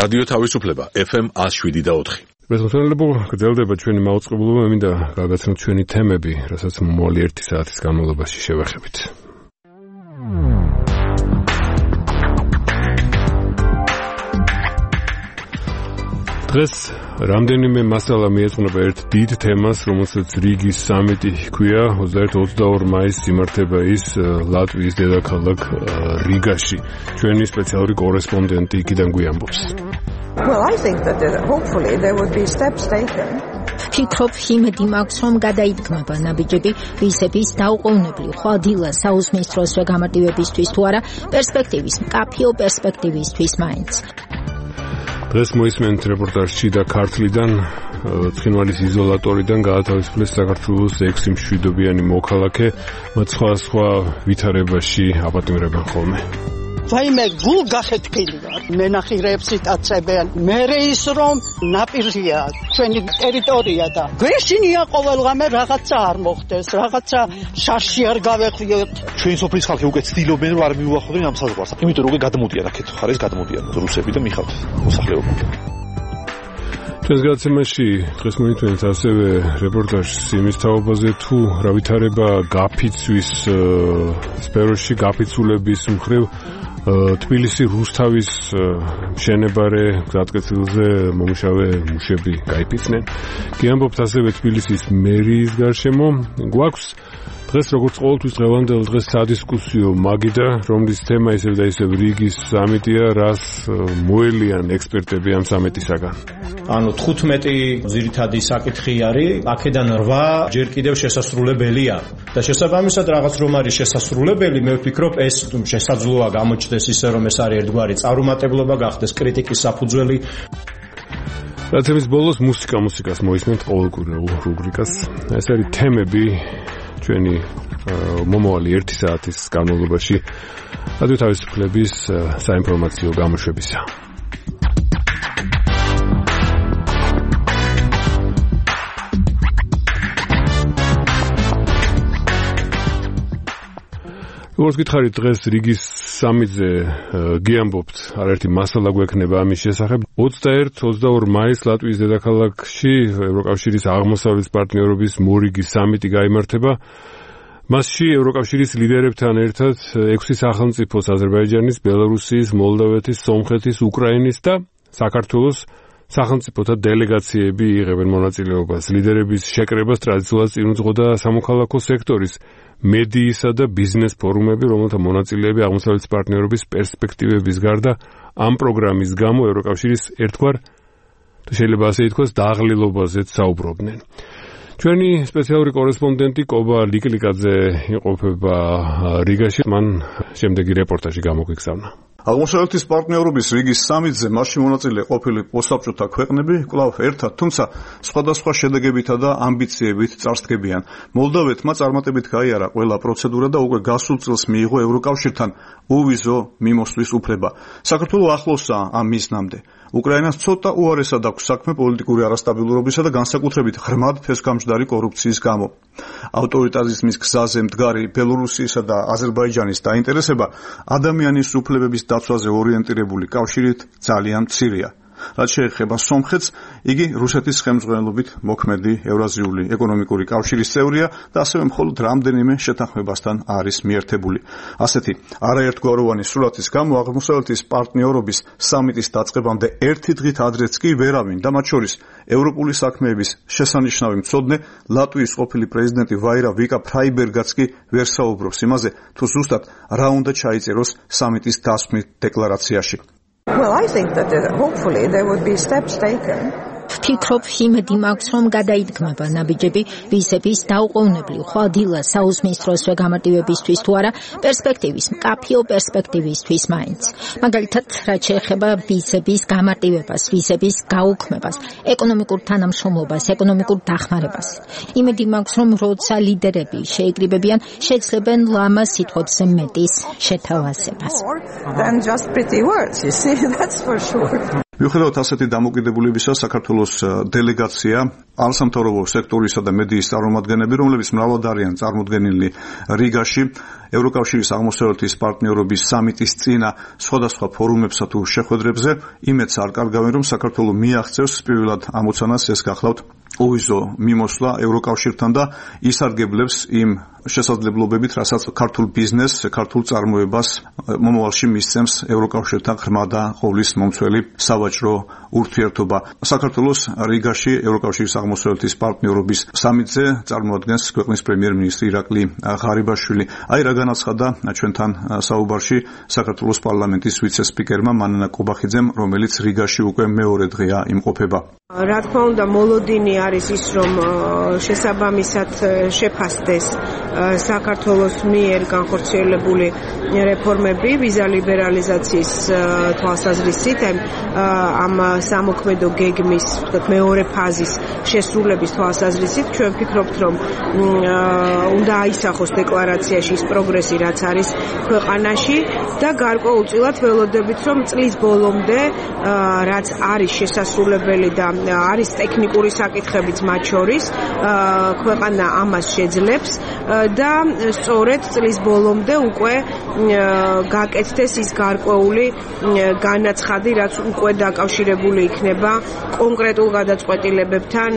რადიო თავისუფლება FM 107.4. მესმოწმელებო, გრძელდება ჩვენი მაუწყებლობა, მინდა გავაცნოთ ჩვენი თემები, რასაც მომავალი 1 საათის განმავლობაში შევეხებით. დღეს რამდენიმე მასალა მიეძღვნება ერთ დიდ თემას, რომელსაც რიგის სამიტი ჰქვია. 21-22 მაისს იმართება ის ლატვიის დედაქალაქ რიგაში. ჩვენი სპეციალური კორესპონდენტი იქიდან გვიამბობს. Well, I think that hopefully there would be steps taken. ფიქრობ, იმედი მაქვს, რომ გადაიდგმება ნაბიჯები ვიზების დაუყოვნებლივ ხვალდილა საუზმის დროს გამარტივებისთვის თუ არა, პერსპექტივის, მკაფიო პერსპექტივისთვის მაინც. დღეს მოისმენთ რეპორტაჟში და ქართლიდან, ცხინვალის იზოლატორიდან გაათავისუფლეს საქართველოს 6 მშვიდობიანი მოქალაქე, მათ სხვა ვითარებაში აპატიმრებენ ხოლმე. ვაიმე გულ გახეთქილი ვარ, მენახირეებს იტაცებენ, მერე ის რომ ნაპირია ჩვენი ტერიტორია და გვეშინია ყოველღამე რაღაცა არ მოხდეს, რაღაცა შარში არ გავეხვიოთ. ჩვენი სოფლის ხალხი უკვე ცდილობენ რომ არ მიუახლოვდნენ ამ საზღვარს, იმიტომ რომ გადამოდიან აქეთ ხარეს გადამოდიან რუსები და მიხავთ მოსახლეობა. ჩვენს გადაცემაში დღეს მოითხოვეთ ასევე რეპორტაჟს იმის თაობაზე თუ რა ვითარება გაფიცვის სფეროში, გაფიცულების მხრივ თბილისი რუსთავის მშენებარე გზატკეცილზე მომუშავე მუშები გაიფიცნენ. გიამბობთ ასევე თბილისის მერიის გარშემო. გვაქვს დღეს როგორც ყოველთვის დღევანდელ დღეს სადისკუსიო მაგიდა, რომლის თემა ისევ და ისევ რიგის სამიტია, რას მოელიან ექსპერტები ამ სამიტისაგან. ანუ 15 ძირითადი საკითხი არის, აქედან 8 ჯერ კიდევ შესასრულებელია. და შესაბამისად რაღაც რომ არის შესასრულებელი, მე ვფიქრობ ეს შესაძლოა გამოჩნდეს ისე რომ ეს არის ერთგვარი წარუმატებლობა, გახდეს კრიტიკის საფუძველი. რაცემის ბოლოს მუსიკას მოისმენთ ყოველკვირეულ რუბრიკას. ეს არის თემები ჩვენი მომავალი 1 საათის განმავლობაში რადიო თავისუფლების საინფორმაციო გამოშვებისა. როგორც გითხარით, დღეს რიგის სამიტზე გიამბობთ, არაერთი მასალა გვექნება ამის შესახებ. 21-22 მაისს ლატვიის დედაქალაქში ევროკავშირის აღმოსავლეთის პარტნიორობის მორიგის სამიტი გაიმართება. მასში ევროკავშირის ლიდერებთან ერთად 6 სახელმწიფოს აზერბაიჯანის, ბელარუსის, მოლდოვეთის, სომხეთის, უკრაინის და საქართველოს სახელმწიფოთა დელეგაციები იღებენ მონაწილეობას. ლიდერების შეკრებას ტრადიციულად წინ უძღოდა სამოქალაქო სექტორის მედიისა და ბიზნეს ფორუმები, რომელთა მონაწილეები აღმოსავლეთის პარტნიორობის პერსპექტივების გარდა ამ პროგრამის გამო ევროკავშირის ერთგვარ შეიძლება ასე ითქვას დაღლილობაზეც საუბრობდნენ. ჩვენი სპეციალური კორესპონდენტი კობა ლიკლიკაძე იმყოფება რიგაში, მან შემდეგი რეპორტაჟი გამოგვიგზავნა. აღმოსავლეთის პარტნიორობის რიგის სამიტზე მასში მონაწილე ყოფილი პოსტსაბჭოთა ქვეყნები კვლავ ერთად, თუმცა სხვადასხვა შედეგებითა და ამბიციებით წარსდგებიან. მოლდოვეთმა წარმატებით გაიარა ყველა პროცედურა და უკვე გასულ წელს მიიღო ევროკავშირთან უვიზო მიმოსვლის უფლება. საქართველო ახლოსაა ამ მიზნამდე. უკრაინას ცოტა უარესად აქვს საქმე პოლიტიკური არასტაბილურობისა და განსაკუთრებით ღრმად ფესკამჯდარი კორუფციის გამო. ავტორიტარიზმის გზაზე მდგარი ბელორუსიისა და აზერბაიჯანის დაინტერესება ადამიანის უფლებების დაცვაზე ორიენტირებული კავშირით ძალიან მცირეა. რაც შეეხება სომხეთს, იგი რუსეთის ხელმძღვანელობით მოქმედი ევრაზიული ეკონომიკური კავშირის წევრია და ასევე მხოლოდ რამდენიმე შეთანხმებასთან არის მიერთებული. ასეთი არაერთგვაროვანი სურათის გამო აღმოსავლეთის პარტნიორობის სამიტის დაწყებამდე ერთი დღით ადრეც კი ვერავინ და მათ შორის ევროპული საქმეების შესანიშნავი მცოდნე ლატვიის ყოფილი პრეზიდენტი ვაირა ვიკა ფრაიბერგაც კი ვერ საუბრობს იმაზე, თუ ზუსტად რა უნდა ჩაიწეროს სამიტის დასვმით დეკლარაციაში. Well, I think that hopefully there would be steps taken. ფიქრობ, იმედი მაქვს, რომ გადაიდგმება ნაბიჯები ვიზების დაუყოვნებლივ ხვალდილა საუზმის დროს გამარტივებისთვის თუ არა, პერსპექტივის, მკაფიო პერსპექტივისთვის მაინც. მაგალითად, რაც შეეხება ვიზების გამარტივებას, ვიზების გაუქმებას, ეკონომიკურ თანამშრომლობას, ეკონომიკურ დახმარებას. იმედი მაქვს, რომ როცა ლიდერები შეიკრიბებიან, შეძლებენ ლამაზ სიტყვებზე მეტის შეთავაზებას. Than just pretty words, you see, that's for sure. მიუხედავად ასეთი დამოკიდებულებისა, საქართველოს დელეგაცია არასამთავრობო სექტორისა და მედიის წარმომადგენლები, რომლებიც მრავლად არიან წარმოდგენილი რიგაში, ევროკავშირის აღმოსავლეთის პარტნიორობის სამიტის წინა სხვადასხვა ფორუმებსა თუ შეხვედრებზე, იმედს არ კარგავენ, რომ საქართველო მიაღწევს პირველად ამოცანას ეს გახლავთ უვიზო მიმოსვლა ევროკავშირთან და ისარგებლებს იმ შესაძლებლობებით, რასაც ქართულ ბიზნესს, ქართულ წარმოებას მომავალში მისცემს ევროკავშირთან ღრმა და ყოვლის მომცველი სავაჭრო ურთიერთობა. საქართველოს რიგაში ევროკავშირის აღმოსავლეთის პარტნიორობის სამიტზე წარმოადგენს ქვეყნის პრემიერ-მინისტრი ირაკლი ღარიბაშვილი. აი რა განაცხადა ჩვენთან საუბარში საქართველოს პარლამენტის ვიცე-სპიკერმა მანანა კობახიძემ, რომელიც რიგაში უკვე მეორე დღეა იმყოფება. რა თქმა უნდა, მოლოდინი არის ის, რომ შესაბამისად შეფასდეს საქართველოს მიერ განხორციელებული რეფორმები ვიზა ლიბერალიზაციის თვალსაზრისით, ამ სამოქმედო გეგმის მეორე ფაზის შესრულების თვალსაზრისით, ჩვენ ვფიქრობთ, რომ უნდა აისახოს დეკლარაციაში ის პროგრესი, რაც არის ქვეყანაში და გარკვეულწილად ველოდებით, რომ წლის ბოლომდე რაც არის შესასრულებელი და არის ტექნიკური საკითხებიც მათ შორის, ქვეყანა ამას შეძლებს და სწორედ წლის ბოლომდე უკვე გაკეთდეს ის გარკვეული განაცხადი, რაც უკვე დაკავშირებული იქნება კონკრეტულ გადაწყვეტილებებთან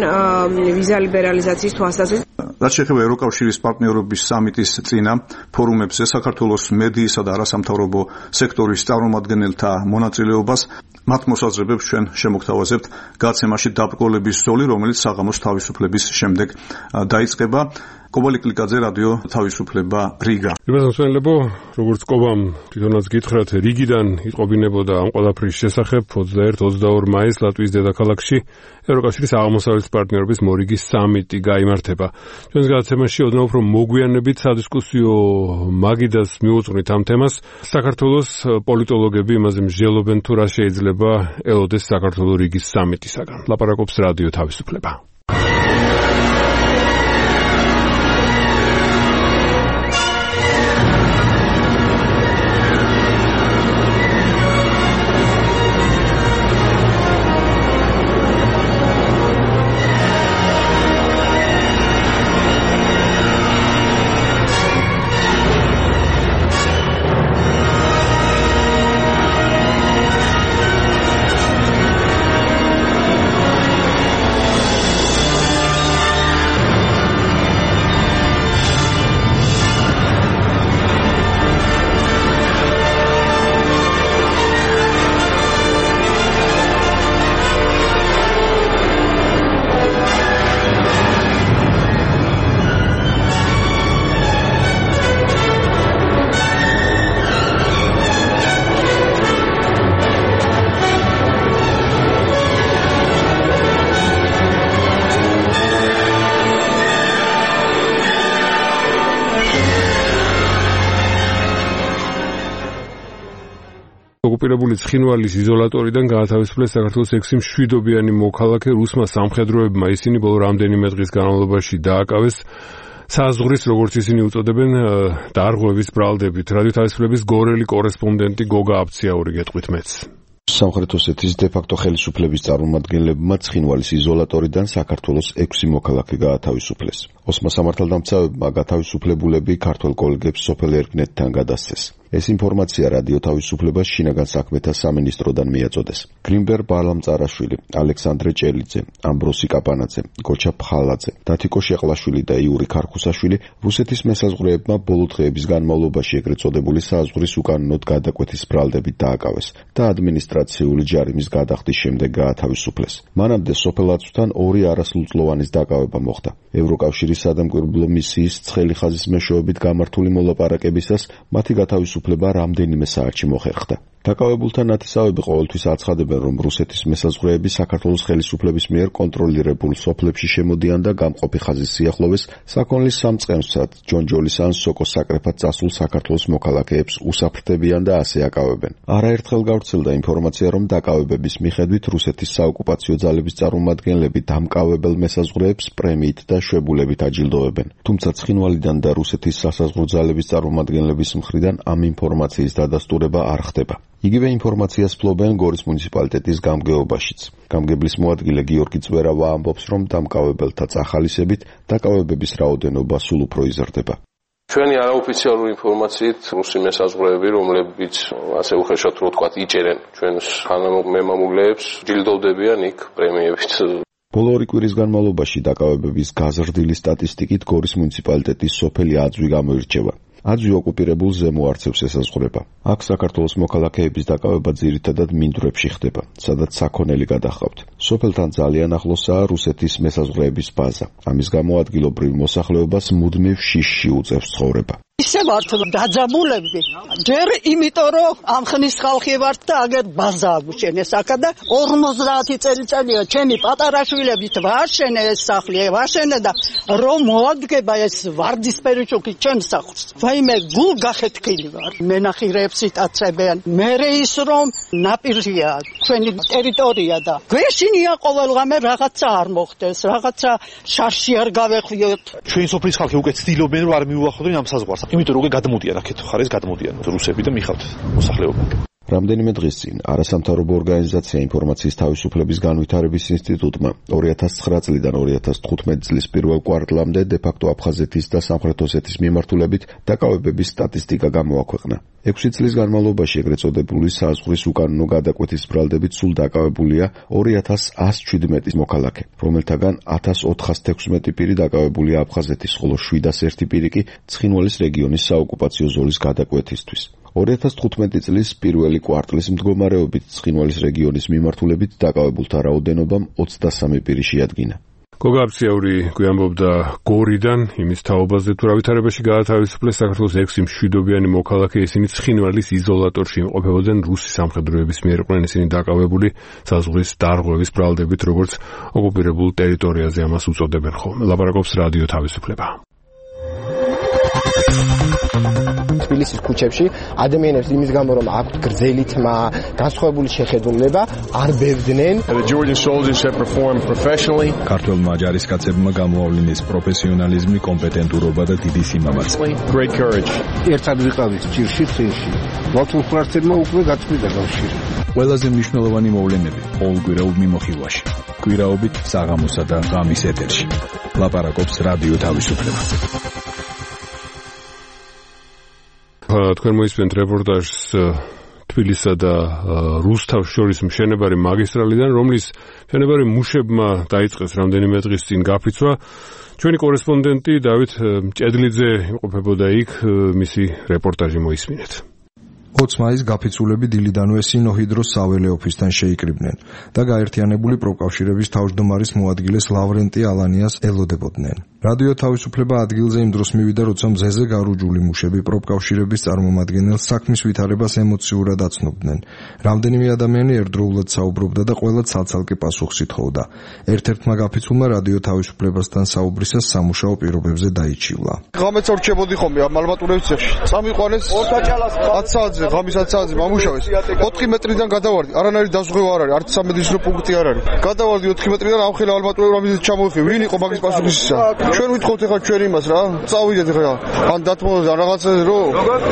ვიზა ლიბერალიზაციის თვალსაზრისით. რაც შეეხება ევროკავშირის პარტნიორობის სამიტის წინა ფორუმებზე საქართველოს მედიისა და არასამთავრობო სექტორის წარმომადგენელთა მონაწილეობას, მათ მოსაზრებებს ჩვენ შემოგთავაზებთ გაცემაში დაბრკოლების ზოლი, რომელიც საღამოს თავისუფლების შემდეგ დაიწყება. კობალი კლიკაძე, რადიო თავისუფლება, რიგა. იმასმსვენლებო, როგორც კობამ თვითონაც გითხრათ, რიგიდან იტყობინებოდა ამ ყველაფრის შესახებ 21-22 მაისს ლატვიის დედაქალაქში ევროკავშირის აღმოსავლეთის პარტნიორობის მორიგის სამიტი გაიმართება. ჩვენს გადაცემაში ოდნავ უფრო მოგვიანებით სადისკუსიო მაგიდას მივუძღვნით ამ თემას. საქართველოს პოლიტოლოგები იმაზე მსჯელობენ, თუ რა შეიძლება ელოდეს საქართველოს რიგის სამიტისაგან. ლაპარაკობს რადიო თავისუფლება. ოკუპირებული ცხინვალის იზოლატორიდან გაათავისუფლეს საქართველოს 6 მშვიდობიანი მოქალაქე. რუსმა სამხედროებმა ისინი ბოლო რამდენიმე დღის განმავლობაში დააკავეს საზღვრის, როგორც ისინი უწოდებენ, დარღვევის ბრალდებით. რადიო თავისუფლების გორელი კორესპონდენტი გოგა აბციაური გეტყვით მეც. სამხრეთ ოსეთის დე-ფაქტო ხელისუფლების წარმომადგენლებმა ცხინვალის იზოლატორიდან საქართველოს 6 მოქალაქე გაათავისუფლეს. ოსმა სამართალდამცავებმა გათავისუფლებულები ქართველ კოლეგებს სოფელ ერკნეთთან გადასცეს. ეს ინფორმაცია რადიო თავისუფლებას შინაგან საქმეთა სამინისტროდან მიაწოდეს. გრინბერ ბალამწარაშვილი, ალექსანდრე ჭელიძე, ამბროსი კაპანაძე, გოჩა ფხალაძე, დათიკო შეყლაშვილი და იური ქარხუსაშვილი რუსეთის მესაზღვრეებმა ბოლო დღეების განმავლობაში ეგრეთ წოდებული საზღვრის უკანონოდ გადაკვეთის ბრალდებით დააკავეს და ადმინისტრაციული ჯარიმის გადახდის შემდეგ გაათავისუფლეს. მანამდე სოფელ აწვთან 2 არასრულწლოვანის დაკავება მოხდა. ევროკავშირის სადამკვირვებლო მისიის ცხელი ხაზის მეშვეობით გამართული მოლაპარაკებისას მათი გათავისუფლება რამდენიმე საათში მოხერხდა. დაკავებულთა ნათესავები ყოველთვის აცხადებენ, რომ რუსეთის მესაზღვრეები საქართველოს ხელისუფლების მიერ კონტროლირებულ სოფლებში შემოდიან და გამყოფი ხაზის სიახლოვეს საქონლის სამწყემსად, ჯონჯოლის ან სოკოს საკრეფად წასულ საქართველოს მოქალაქეებს უსაფრთხებიან და ასე აკავებენ. არაერთხელ გავრცელდა ინფორმაცია, რომ დაკავებების მიხედვით რუსეთის საოკუპაციო ძალების წარმომადგენლები დამკავებელ მესაზღვრეებს პრემიით და შვებულებით აჯილდოვებენ. თუმცა ცხინვალიდან და რუსეთის სასაზღვრო ძალების წარმომადგენლების მხრიდან ამ ინფორმაციის დადასტურება არ ხდება. იგივე ინფორმაციას ფლობენ გორის მუნიციპალიტეტის გამგეობაშიც. გამგებლის მოადგილე გიორგი წვერავა ამბობს, რომ დამკავებელთა წახალისებით დაკავებების რაოდენობა სულ უფრო იზრდება. ჩვენი არაოფიციალური ინფორმაციით რუსი მესაზღვრეები, რომლებიც ასე უხეშად რო ვთქვათ, იჭერენ ჩვენს მემამულეებს, ჯილდოვდებიან იქ პრემიებით. ბოლო 2 კვირის განმავლობაში დაკავებების გაზრდილი სტატისტიკით გორის მუნიციპალიტეტის სოფელი აძვი გამოირჩევა. აძვი ოკუპირებულ ზემო არცევს ესაზღვრება. აქ საქართველოს მოქალაქეების დაკავება ძირითადად მინდვრებში ხდება, სადაც საქონელი გადაჰყავთ. სოფელთან ძალიან ახლოსაა რუსეთის მესაზღვრეების ბაზა. ამის გამო ადგილობრივ მოსახლეობას მუდმივ შიშში უწევს ცხოვრება. ისე ვართ დაძაბულები. ჯერ იმიტომ რომ ამ ხნის ხალხი ვართ და აგერ ბაზა აგვჩენეს აქა და 50 წელიწადია ჩემი პატარა შვილებით ვაშენე ეს სახლი, ვაშენე და რომ მოადგება ეს ვარდისფერი შუქი ჩემს სახლს. ვაიმე გულ გახეთქილი ვარ. მენახირეებს იტაცებიან. მერე ის რომ ნაპირია ჩვენი ტერიტორია და გვეშინია ყოველღამე რაღაცა არ მოხდეს, რაღაცა შარში არ გავეხვიოთ. ჩვენი სოფლის ხალხი უკვე ცდილობენ რომ არ მიუახლოვდნენ ამ საზღვარს. იმიტომ რომ გადმოდიან აქეთ ხარეს გადმოდიან რუსები და მიხავთ მოსახლეობა. რამდენიმე დღის წინ არასამთავრობო ორგანიზაცია ინფორმაციის თავისუფლების განვითარების ინსტიტუტმა 2009 წლიდან 2015 წლის პირველ კვარტლამდე დე-ფაქტო აფხაზეთის და სამხრეთ ოსეთის მიმართულებით დაკავებების სტატისტიკა გამოაქვეყნა. 6 წლის განმავლობაში ეგრეთ წოდებული საზღვრის უკანონო გადაკვეთის ბრალდებით სულ დაკავებულია 2117 მოქალაქე, რომელთაგან 1416 პირი დაკავებულია აფხაზეთის, ხოლო 701 პირი კი ცხინვალის რეგიონის საოკუპაციო ზოლის გადაკვეთისთვის. 2015 წლის პირველი კვარტლის მდგომარეობით ცხინვალის რეგიონის მიმართულებით დაკავებულთა რაოდენობამ 23 პირი შეადგინა. გოგა აბსიაური გვიამბობდა გორიდან იმის თაობაზე თუ რა ვითარებაში გაათავისუფლეს საქართველოს 6 მშვიდობიანი მოქალაქე, ისინი ცხინვალის იზოლატორში იმყოფებოდნენ რუსი სამხედროების მიერ იყვნენ ისინი დაკავებული საზღვრის დარღვევის ბრალდებით, როგორც ოკუპირებულ ტერიტორიაზე ამას უწოდებენ ხოლმე. ლაპარაკობს რადიო თავისუფლება. თბილისის ქუჩებში ადამიანებს იმის გამო რომ აქვთ გრძელი თმა, განსხვავებული შეხედულება, არ ბევდნენ. ქართველმა ჯარისკაცებმა გამოავლინეს პროფესიონალიზმი, კომპეტენტურობა და დიდი სიმამაცე. ერთად ვიყავით ჭირში ხილში. ვალთულხურარცებმა უკვე გაწყვიტა კავშირი. ყველაზე მნიშვნელოვანი მოვლენები ყოველკვირეულ მიმოხილვაში. კვირაობით საღამოსა და ღამის ეთერში. ლაპარაკობს რადიო თავისუფლება. თქვენ მოისმენთ რეპორტაჟს თბილისსა და რუსთავს შორის მშენებარე მაგისტრალიდან, რომლის მშენებარე მუშებმა დაიწყეს რამდენიმე დღის წინ გაფიცვა. ჩვენი კორესპონდენტი დავით ჭედლიძე იმყოფებოდა იქ, მისი რეპორტაჟი მოისმინეთ. 20 მაისს გაფიცულები დილიდანვე სინოჰიდროს საველე ოფისთან შეიკრიბნენ და გაერთიანებული პროკავშირების თავმჯდომარის მოადგილეს ლავრენტი ალანიას ელოდებოდნენ. რადიო თავისუფლება ადგილზე იმ დროს მივიდა, როცა მზეზე გარუჯული მუშები პროკავშირების წარმომადგენელს საქმის ვითარებას ემოციურად აცნობდნენ. რამდენიმე ადამიანი ერთდროულად საუბრობდა და ყველა ცალ-ცალკე პასუხს ითხოვდა. ერთ-ერთმა გაფიცულმა რადიო თავისუფლებასთან საუბრისას სამუშაო პირობებზე დაიჩივლა. ღამეც ორჩებოდი ხომ მალბატურების ცეხში. წამიყვანეს 10 საათზე, ღამის 10 საათზე მომუშავეს. 4 მეტრიდან გადავარდი, არანაირი დაზღვევა არ არის, არც სამედიცინო პუნქტი არ არის. გადავარდი 4 მეტრიდან, ამხელა ალბატურები რამიზეც ჩამოვიხე. ვინ იყო მაგის პასუხისისა? ჩვენ ვითხოვთ ახლა ჩვენ იმას რა, წავიდეთ ახლა. ან დათმობთ ან რაღაცა რო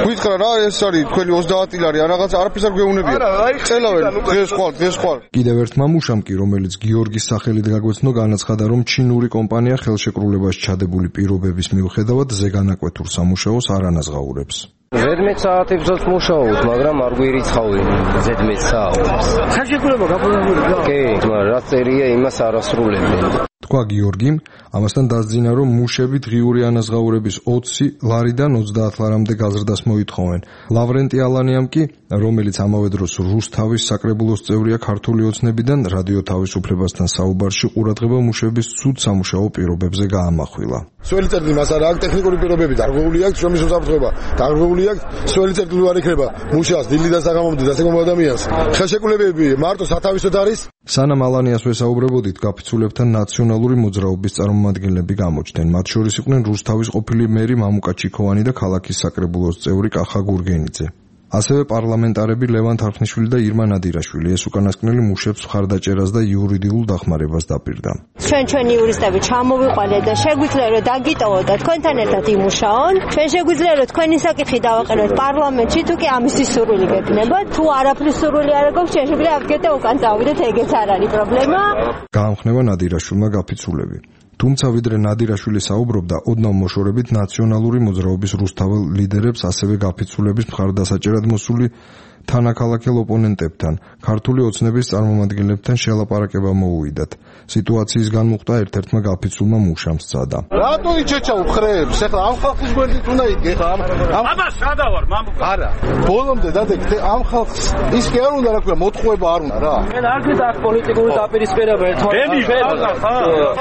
გითხრა რა ეს არის თქვენი 30 ლარი, ან რაღაცა არაფერს არ გვეუბნებია. წელავენ დღეს ხვალ. კიდევ ერთ მამუშამ კი, რომელიც გიორგის სახელით გაგვეცნო, განაცხადა, რომ ჩინური კომპანია ხელშეკრულებაში ჩადებული პირობების მიუხედავად ზეგანაკვეთურ სამუშაოს არ ანაზღაურებს. 11 საათებსაც მუშაობთ, მაგრამ არ გვირიცხავენ 11 საათს. ხელშეკრულება გაფორმებულია. კი, მაგრამ რა წერია იმას არასრულებენ. თქვა გიორგიმ, ამასთან დასძინა, რომ მუშები დღიური ანაზღაურების 20 ლარიდან 30 ლარამდე გაზრდას მოითხოვენ. ლავრენტი ალანიამ კი, რომელიც ამავე დროს რუსთავის საკრებულოს წევრია ქართული ოცნებიდან, რადიო თავისუფლებასთან საუბარში ყურადღება მუშების ცუდ სამუშაო პირობებზე გაამახვილა. სველი წერტილი მას არა აქვს ტექნიკური პირობები, დარღვეული აქვს შრომის უსაფრთხოება, დარღვეული აქვს სველი წერტილი არ იქნება მუშას დილიდან საღამომდე დასეკომ ადამიანს. ხელშეკრულებები მარტო სათავისოდ არის. სანამ ალანიას ვესაუბრებოდით, გაფიცულებთან ნაციონალური მოძრაობის წარმომადგენლები გამოჩნდნენ. მათ შორის იყვნენ რუსთავის ყოფილი მერი მამუკა ჩიქოვანი და ქალაქის საკრებულოს წევრი კახა გურგენიძე. ასევე პარლამენტარები ლევან თარხნიშვილი და ირმა ნადირაშვილი ეს უკანასკნელი მუშებს მხარდაჭერას და იურიდიულ დახმარებას დაპირდა. ჩვენ იურისტები ჩამოვიყვანეთ და შეგვიძლია რომ დაგიტოვოთ და თქვენთან ერთად იმუშაონ. ჩვენ შეგვიძლია რომ თქვენი საკითხი დავაყენოთ პარლამენტში, თუ კი ამისთვის სურვილი გექნებათ. თუ არაფრის სურვილი არ აქვს, ჩვენ შეგვიძლია აქეთ უკან წავიდეთ, ეგეც არ არის პრობლემა. გაამხნევა ნადირაშვილმა გაფიცულები. თუმცა ვიდრე ნადირაშვილი საუბრობდა, ოდნავ მოშორებით ნაციონალური მოძრაობის რუსთაველ ლიდერებს, ასევე გაფიცულების მხარდასაჭერად მოსული თანაქალაქელ ოპონენტებთან, ქართული ოცნების წარმომადგენლებთან შელაპარაკება მოუვიდათ. სიტუაციის განმუხტა ერთ-ერთმა გაფიცულმა მუშამ სცადა. რატო იჩეჩა უხრებს? ეხლა ამ ხალხის გვერდით უნდა იდგე ხა? აბა სადა ვარ, მამუკა. არა. ბოლომდე დადეკ ამ ხალხს ის კი არ უნდა რა ქვია, მოთხოვება არ უნდა რა. ჩვენ არ გვიდა აქ პოლიტიკური დაპირისპირება ერთმანეთს.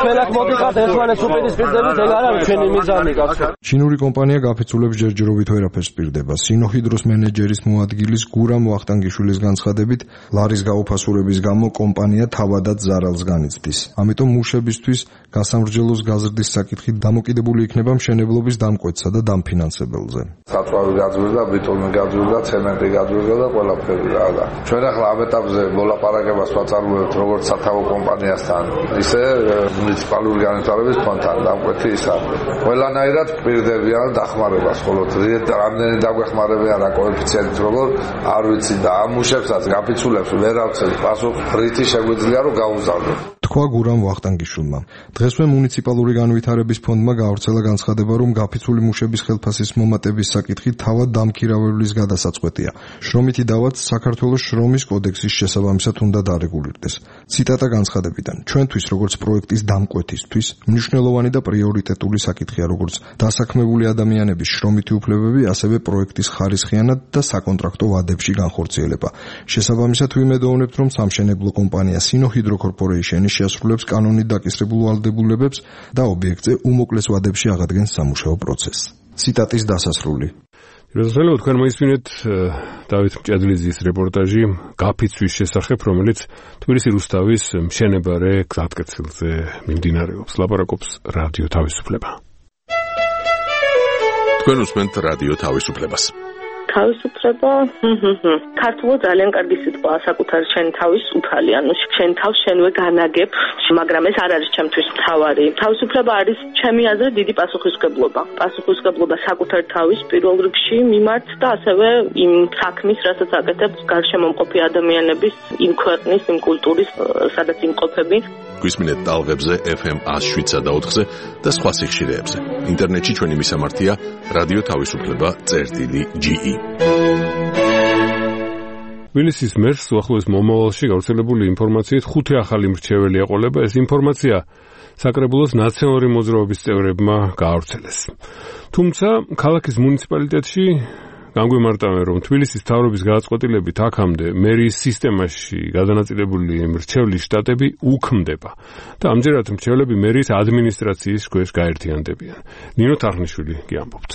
ჩვენ აქ მოდიხართ ერთმანეთს უპირისპირდებით, ეგ არ არის ჩვენი მიზანი, კაცო. ჩინური კომპანია გაფიცულებს ჯერჯერობით ვერაფერს პირდება. სინოჰიდროს მენეჯერის მოადგილის გურამ ვახტანგიშვილის განცხადებით, ლარის გაუფასურების გამო კომპანია თავადაც ზარალს განიცდის. ამიტომ მუშებისთვის გასამრჯელოს გაზრდის საკითხი დამოკიდებული იქნება მშენებლობის დამკვეთსა და დამფინანსებელზე. საწვავი გაძვირდა, ბიტონი გაძვირდა, ცემენტი გაძვირდა და ყველაფერი რა. ჩვენ ახლა ამ ეტაპზე მოლაპარაკებას ვაწარმოებთ როგორც სათავო კომპანიასთან, ისე მუნიციპალური განვითარების ფონდთან. დამკვეთი ის არის. ყველანაირად პირდებიან დახმარებას, ხოლო რამდენი დაგვეხმარებიან რა კოეფიციენტით როგორ არ ვიცი და ამ მუშებსაც გაფიცულებს ვერ ავცეთ პასუხ ფრითი შეგვიძლია რომ გაუზარდოთ. თქვა გურამ ვახტანგიშვილმა. დღესვე მუნიციპალური განვითარების ფონდმა გაავრცელა განცხადება, რომ გაფიცული მუშების ხელფასის მომატების საკითხი თავად დამქირავებლის გადასაწყვეტია. შრომითი დავაც საქართველოს შრომის კოდექსის შესაბამისად უნდა დარეგულირდეს. ციტატა განცხადებიდან. ჩვენთვის როგორც პროექტის დამკვეთისთვის მნიშვნელოვანი და პრიორიტეტული საკითხია როგორც დასაქმებული ადამიანების შრომითი უფლებები, ასევე პროექტის ხარისხიანად და საკონტრაქტო ვადებში განხორციელება. შესაბამისად ვიმედოვნებთ, რომ სამშენებლო კომპანია სინოჰიდრო კორპორეიშენი შეასრულებს კანონით დაკისრებულ ვალდებულებებს და ობიექტზე უმოკლეს ვადებში აღადგენს სამუშაო პროცესს. ციტატის დასასრული. როდესაც თქვენ მოისმინეთ დავით მჭედლიძის რეპორტაჟი გაფიცვის შესახებ, რომელიც თბილისის რუსთავის მშენებარე გზატკეცილზე მიმდინარეობს, ლაპარაკობს რადიო თავისუფლება. თქვენ უსმენთ რადიო თავისუფლებას. თავისუფლება ქართულად ძალიან კარგი სიტყვაა საკუთარი შენ თავის უფალი, ანუ შენ თავს შენვე განაგებ, მაგრამ ეს არ არის ჩემთვის მთავარი. თავისუფლება არის ჩემი აზრით დიდი პასუხისმგებლობა. პასუხისმგებლობა საკუთარი თავის პირველ რიგში მიმართ და ასევე იმ საქმის, რასაც აკეთებს გარშემომყოფი ადამიანების, იმ ქვეყნის, იმ კულტურის, სადაც იმყოფები. გვისმინეთ ტალღებზე FM 107.4-ზე და სხვა სიხშირეებზე. ინტერნეტში ჩვენი მისამართია რადიო თავისუფლება.ge. თბილისის მერს უახლოეს მომავალში გავრცელებული ინფორმაციით 5 ახალი მრჩეველი ეყოლება. ეს ინფორმაცია საკრებულოს ნაციონალური მოძრაობის წევრებმა გაავრცელეს. თუმცა ქალაქის მუნიციპალიტეტში განგვიმარტავენ, რომ თბილისის მთავრობის გადაწყვეტილებით აქამდე მერიის სისტემაში გადანაწილებული მრჩევლის შტატები უქმდება და ამჯერად მრჩევლები მერიის ადმინისტრაციის ქვეშ გაერთიანდებიან. ნინო თარხნიშვილი გიამბობთ.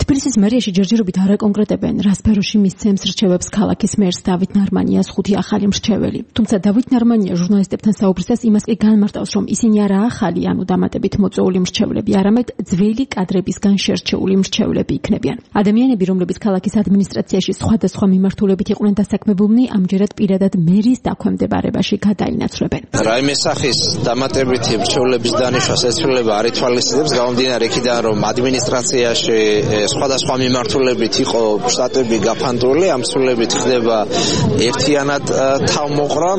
თბილისის მერიაში ჯერჯერობით არ აკონკრეტებენ, რა სფეროში მისცემს რჩევებს ქალაქის მერს დავით ნარმანიას 5 ახალი მრჩეველი. თუმცა დავით ნარმანია ჟურნალისტებთან საუბრისას იმას კი განმარტავს, რომ ისინი არა ახალი, ანუ დამატებით მოწვეული მრჩევლები, არამედ ძველი კადრებისგან შერჩეული მრჩევლები იქნებიან. ადამიანები, რომლებიც ქალაქის ადმინისტრაციაში სხვადასხვა მიმართულებით იყვნენ დასაქმებულნი, ამჯერად პირადად მერის დაქვემდებარებაში გადაინაცვლებენ. რაიმე სახის დამატებითი მრჩევლების დანიშვნას ეცვლება არ ითვალისწინებს, გამომდინარე იქიდან, რომ ადმინისტრაციაში სხვადასხვა მიმართულებით იყო შტატები გაფანტული, ამ სრულებით ხდება ერთიანად თავმოყრა.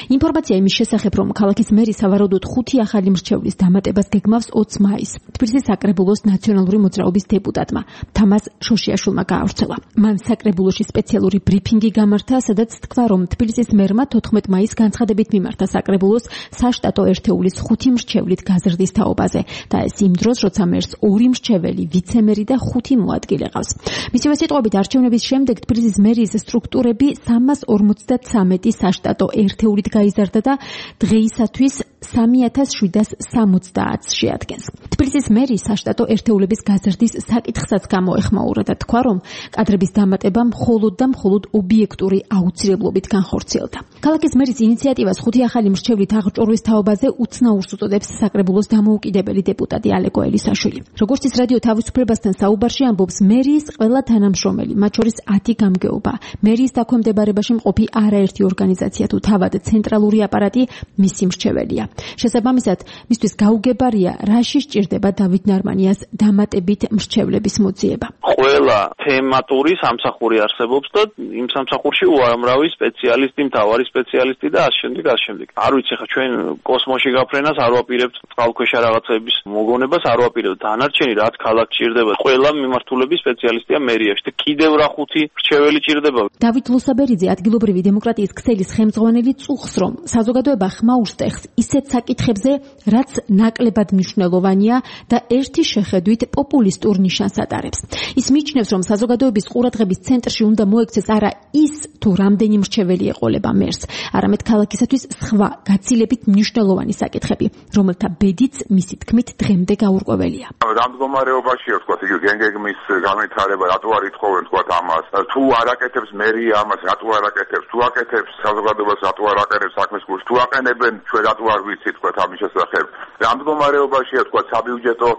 ინფორმაცია იმის შესახებ, რომ ქალაქის მერი სავარაუდოდ 5 ახალი მრჩევლის დამატებას გეგმავს 20 მაისს. თბილისის საკრებულოს ნაციონალური მოძრაობის დეპუტატმა თამაზ შოშიაშვილმა გაავრცელა. მან საკრებულოში სპეციალური ბრიფინგი გამართა, სადაც თქვა, რომ თბილისის მერმა 14 მაისს განცხადებით მიმართა საკრებულოს საშტატო ერთეულის 5 მრჩევლით გაზრდის თაობაზე და ეს იმ დროს, როცა მერს 2 მრჩეველი, ვიცემერი და 5 მოადგილე ყავს. მისივე სიტყვებით, არჩევნების შემდეგ თბილისის მერიის სტრუქტურები 353 საშტატო ერთეულით გაიზარდა და დღეისათვის 3770 შეადგენს. თბილისის მერის საშტატო ერთეულების გაზრდის საკითხსაც გამოეხმაურა და თქვა, რომ კადრების დამატება მხოლოდ და მხოლოდ ობიექტური აუცილებლობით განხორციელდა. ქალაქის მერის ინიციატივას 5 ახალი მრჩევლით აღჭურვის თაობაზე უცნაურს უწოდებს საკრებულოს დამოუკიდებელი დეპუტატი ალეკო ელისაშვილი. როგორც ის რადიო თავისუფლებასთან საუბარში ამბობს, მერის ყველა თანამშრომელი, მათ შორის 10 გამგეობა, მერის დაქვემდებარებაში მყოფი არაერთი ორგანიზაცია თუ თავად ცენტრალური აპარატი მისი მრჩეველია. შესაბამისად, მისთვის გაუგებარია, რაში სჭირდება დავით ნარმანიას დამატებით მრჩევლების მოძიება. ყველა თემატური სამსახური არსებობს და იმ სამსახურში უამრავი სპეციალისტი, მთავარი სპეციალისტი და ასე შემდეგ. არ ვიცი ხა ჩვენ კოსმოსში გაფრენას არ ვაპირებთ, წყალქვეშა რაღაცების მოგონებას არ ვაპირებთ. დანარჩენი რაც ქალაქ ჭირდება, ყველა მიმართულების სპეციალისტია მერიაში და კიდევ რა 5 მრჩეველი ჭირდება. დავით ლუსაბერიძე ადგილობრივი დემოკრატიის ქსელის ხელმძღვანელი წუხს, რომ საზოგადოება ხმაურს ტეხს ისეთ საკითხებზე, რაც ნაკლებად მნიშვნელოვანია და ერთი შეხედვით პოპულისტურ ნიშანს ატარებს. ის მიიჩნევს, რომ საზოგადოების ყურადღების ცენტრში უნდა მოექცეს არა ის, თუ რამდენი მრჩეველი ეყოლება მერს, არამედ ქალაქისათვის სხვა გაცილებით მნიშვნელოვანი საკითხები, რომელთა ბედიც მისი თქმით დღემდე გაურკვეველია. რამ მდგომარეობაშია, თქვა, იგი გენგეგმის განვითარება, რატო არ ითხოვენ, თქვა, ამას, თუ არ აკეთებს მერია ამას, რატო არ აკეთებს, თუ აკეთებს საზოგადოებას, რატო არ აკეთებს საქმის გულს, თუ აყენებენ, ჩვენ რატო არ ვიცით, თქვა, ამის შესახებ. რამ მდგომარეობაშია, თქვა, საბიუჯეტო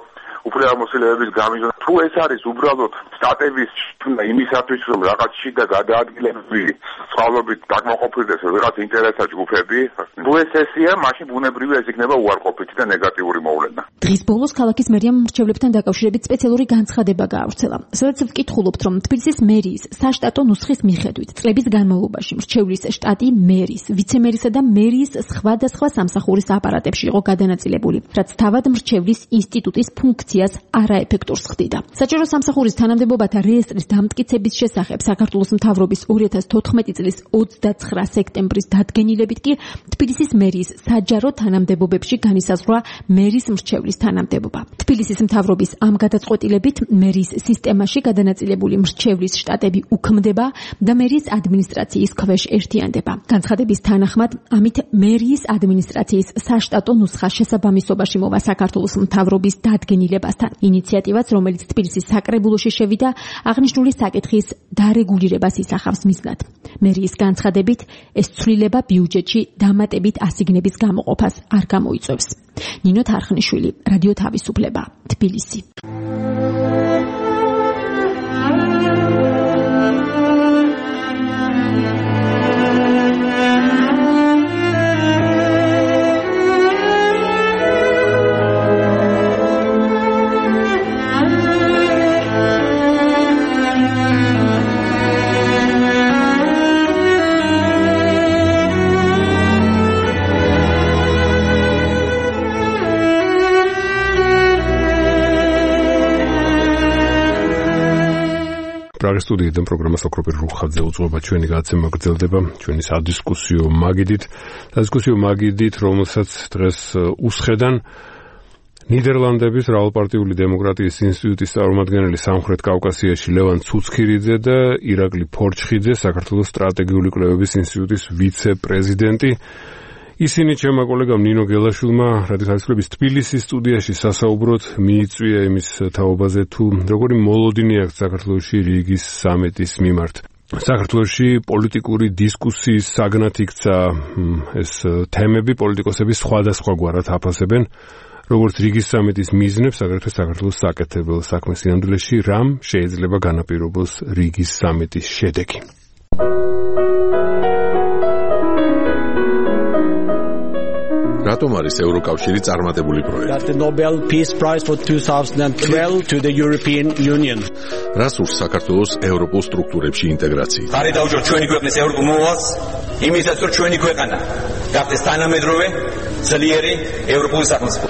უფლებამოსილების გამიზონა, თუ ეს არის უბრალოდ სტატების იმისათვის, რომ რაღაც შიდა გადაადგილები წყალობით დაკმაყოფილდეს რაღაც ინტერესთა ჯგუფები, თუ ეს ესეა, მაშინ ბუნებრივია ეს იქნება უარყოფითი და ნეგატიური მოვლენა. დღის ბოლოს ქალაქის მერიამ მრჩევლებთან დაკავშირებით სპეციალური განცხადება გაავრცელა. სადაც ვკითხულობთ, რომ თბილისის მერიის საშტატო ნუსხის მიხედვით წლების განმავლობაში მრჩევლის შტატი მერის, ვიცემერისა და მერიის სხვადასხვა სამსახურის აპარატებში იყო გადანაწილებული, რაც თავად მრჩევლის ინსტიტუტის ფუნქციას არაეფექტურს ხდიდა. საჯარო სამსახურის თანამდებობათა რეესტრის დამტკიცების შესახებ საქართველოს მთავრობის 2014 წლის 29 სექტემბრის დადგენილებით კი თბილისის მერიის საჯარო თანამდებობებში განისაზღვრა მერის მრჩევლის თანამდებობა. თბილისის მთავრობის ამ გადაწყვეტილებით მერის სისტემაში გადანაწილებული მრჩევლის შტატები უქმდება და მერის ადმინისტრაციის ქვეშ ერთიანდება. განცხადების თანახმად, ამით მერის ადმინისტრაციის საშტატო ნუსხა შესაბამისობაში მოვა საქართველოს მთავრობის დადგენილებასთან. ინიციატივაც, რომელიც თბილისის საკრებულოში შევიდა, აღნიშნული საკითხის დარეგულირებას ისახავს მიზნად. მერიის განცხადებით, ეს ცვლილება ბიუჯეტში დამატებით ასიგნების გამოყოფას არ გამოიწვევს. ნინო თარხნიშვილი, რადიო თავისუფლება, თბილისი. პრაღის სტუდიიდან პროგრამას ოქროპირ რუხაძე უძღვება ჩვენი გადაცემა გრძელდება ჩვენი სადისკუსიო მაგიდით, რომელსაც დღეს უსხედან ნიდერლანდების რავალპარტიული დემოკრატიის ინსტიტუტის წარმომადგენელი სამხრეთ კავკასიაში ლევან ცუცქირიძე და ირაკლი ფორჩხიძე, საქართველოს სტრატეგიული კვლევების ინსტიტუტის ვიცე-პრეზიდენტი. ისინი ჩემმა კოლეგამ ნინო გელაშვილმა რადიო თავისუფლების თბილისის სტუდიაში სასაუბროდ მიიწვია იმის თაობაზე, თუ როგორი მოლოდინი აქვს საქართველოში რიგის სამეტის მიმართ. საქართველოში პოლიტიკური დისკუსიის საგნად იქცა ეს თემები, პოლიტიკოსები სხვადასხვაგვარად აფასებენ, როგორც რიგის სამეტის მიზნებს, აგრეთვე საქართველოს საკეთებელ საქმეს სინამდვილეში, რამ შეიძლება განაპირობოს რიგის სამეტის შედეგი. რატომ არის ევროკავშირი წარმატებული პროექტი? The Nobel Peace Prize for 2012 to the European Union. რას ურს საქართველოს ევროპულ სტრუქტურებში ინტეგრაცია? ხარი დაუჭიროთ ჩვენი ქვეყნის ევროპულ მოვალს, იმისაც რომ ჩვენი ქვეყანა გახდეს თანამედროვე, ძლიერი ევროპული სახელმწიფო.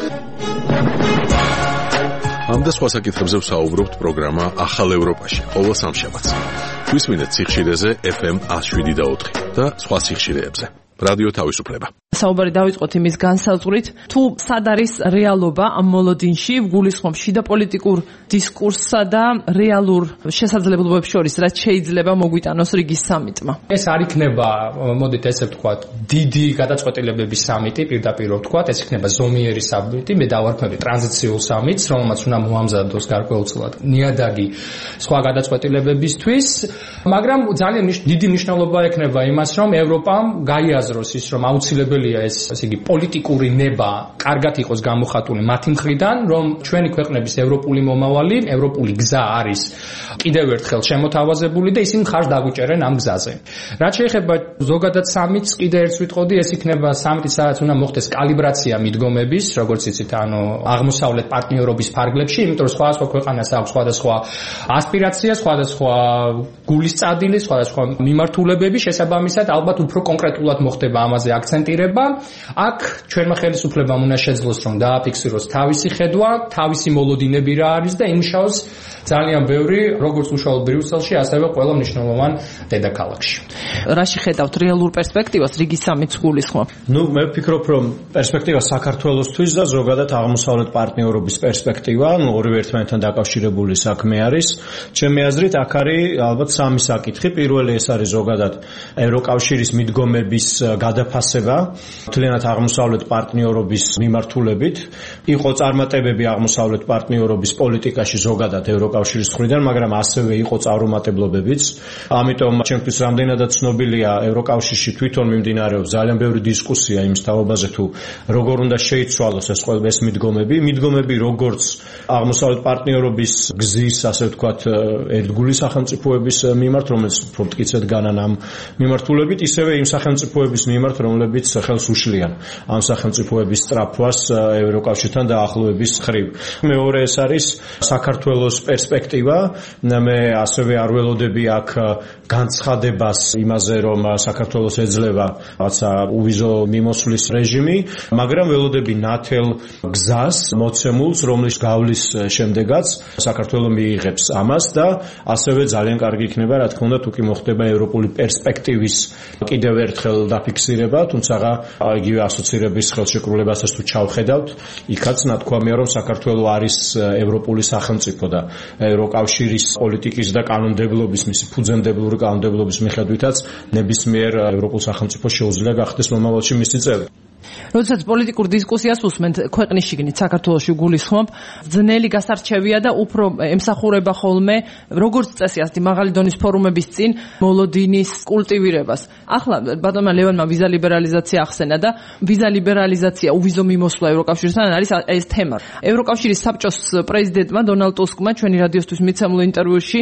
ამ და სხვა საკითხებზე ვსაუბრობთ პროგრამა ახალ ევროპაში, ყოველ სამშაბათს. გვისმინეთ სიხშირეზე FM 107.4 და სხვა სიხშირეებზე. რადიო თავისუფლება. საუბარი დავიწყოთ იმის განსაზღვრით, თუ სად არის რეალობა ამ მოლოდინში, გულისხმობ შიდა პოლიტიკურ დისკურსსა და რეალურ შესაძლებლობებს შორის, რაც შეიძლება მოგვიტანოს რიგის სამიტმა. ეს არ იქნება, მოდით ესე ვთქვათ, დიდი გადაწყვეტილებების სამიტი, პირდაპირ ვთქვათ, ეს იქნება ზომიერი სამიტი, მე დავარქმევი ტრანზიციულ სამიტს, რომელმაც უნდა მოამზადოს გარკვეულწილად ნიადაგი სხვა გადაწყვეტილებებისთვის, მაგრამ ძალიან დიდი მნიშვნელობა ექნება იმას, რომ ევროპამ გაიაზროს ის, რომ აუცილებელია ესე იგი პოლიტიკური ნება კარგად იყოს გამოხატული მათი მხრიდან, რომ ჩვენი ქვეყნების ევროპული მომავალი, ევროპული გზა არის კიდევ ერთხელ შემოთავაზებული და ისინი ხარჯ დაგვიჭერენ ამ გზაზე. რაც შეეხება ზოგადად სამიტს, კიდევ ერთს ვიტყოდი, ეს იქნება სამიტი, სადაც უნდა მოხდეს კალიბრაცია მიდგომების, როგორც იცით, აღმოსავლეთ პარტნიორობის ფარგლებში, იმიტომ რომ სხვადასხვა ქვეყანას აქვს სხვადასხვა ასპირაცია, სხვადასხვა გულის წადილი, სხვადასხვა მიმართულებები, შესაბამისად, ალბათ უფრო კონკრეტულად მოხდება ამაზე აქცენტირება. აქ ჩვენმა ხელისუფლებამ უნდა შეძლოს, რომ დააფიქსიროს თავისი ხედვა, თავისი მოლოდინები რა არის და იმუშაოს ძალიან ბევრი, როგორც უშუალოდ ბრიუსელში, ასევე ყველა მნიშვნელოვან დედაქალაქში. რაში ხედავთ რეალურ პერსპექტივას რიგის სამიტს გულისხმობ? მე ვფიქრობ, რომ პერსპექტივა საქართველოსთვის და ზოგადად აღმოსავლეთ პარტნიორობის პერსპექტივა, ორივე ერთმანეთთან დაკავშირებული საქმე არის. ჩემი აზრით, აქ არის ალბათ სამი საკითხი. პირველი ეს არის ზოგადად ევროკავშირის მიდგომების გადაფასება, მთლიანად აღმოსავლეთ პარტნიორობის მიმართულებით. იყო წარმატებები აღმოსავლეთ პარტნიორობის პოლიტიკაში ზოგადად ევროკავშირის მხრიდან, მაგრამ ასევე იყო წარუმატებლობებიც. ამიტომ ჩემთვის რამდენადაც ცნობილია, ევროკავშირში თვითონ მიმდინარეობს ძალიან ბევრი დისკუსია იმ თაობაზე, თუ როგორ უნდა შეიცვალოს ეს მიდგომები, როგორც აღმოსავლეთ პარტნიორობის გზის, ასე ვთქვათ, ერთგული სახელმწიფოების მიმართ, რომელიც უფრო მტკიცედ განან ამ მიმართულებით, ისევე იმ სახელმწიფოების მიმართ, რომლებიც ხელს უშლიან ამ სახელმწიფოების სწრაფვას ევროკავშირთან დაახლოების ხრივ. მეორე ეს არის საქართველოს პერსპექტივა. მე ასევე არ ველოდები აქ განცხადებას იმაზე, რომ საქართველოს ეძლევა რაღაცა უვიზო მიმოსვლის რეჟიმი, მაგრამ ველოდები ნათელ გზას მოცემულს, რომლის გავლის შემდეგაც საქართველო მიიღებს ამას და ასევე ძალიან კარგი იქნება, რა თქმა უნდა, თუ კი მოხდება ევროპული პერსპექტივის კიდევ ერთხელ დაფიქსირება, თუმცა იგივე ასოცირების ხელშეკრულებასაც თუ ჩავხედავთ, იქაც ნათქვამია, რომ საქართველო არის ევროპული სახელმწიფო და ევროკავშირის პოლიტიკის და კანონმდებლობის, მისი ფუძემდებლური კანონმდებლობის მიხედვითაც ნებისმიერ ევროპულ სახელმწიფოს შეუძლია გახდეს მომავალში მისი წევრი. როდესაც პოლიტიკურ დისკუსიას უსმენთ ქვეყნის შიგნით საქართველოში გულისხმობ, ძნელი გასარჩევია და უფრო ემსახურება ხოლმე როგორც წესი ასეთი მაღალი დონის ფორუმების წინ მოლოდინის კულტივირებას. ახლა ბატონმა ლევანმა ვიზა ლიბერალიზაცია ახსენა და ვიზა ლიბერალიზაცია უვიზო მიმოსვლა ევროკავშირთან არის ეს თემა. ევროკავშირის საბჭოს პრეზიდენტმა დონალდ ტუსკმა ჩვენი რადიოსთვის მიცემულ ინტერვიუში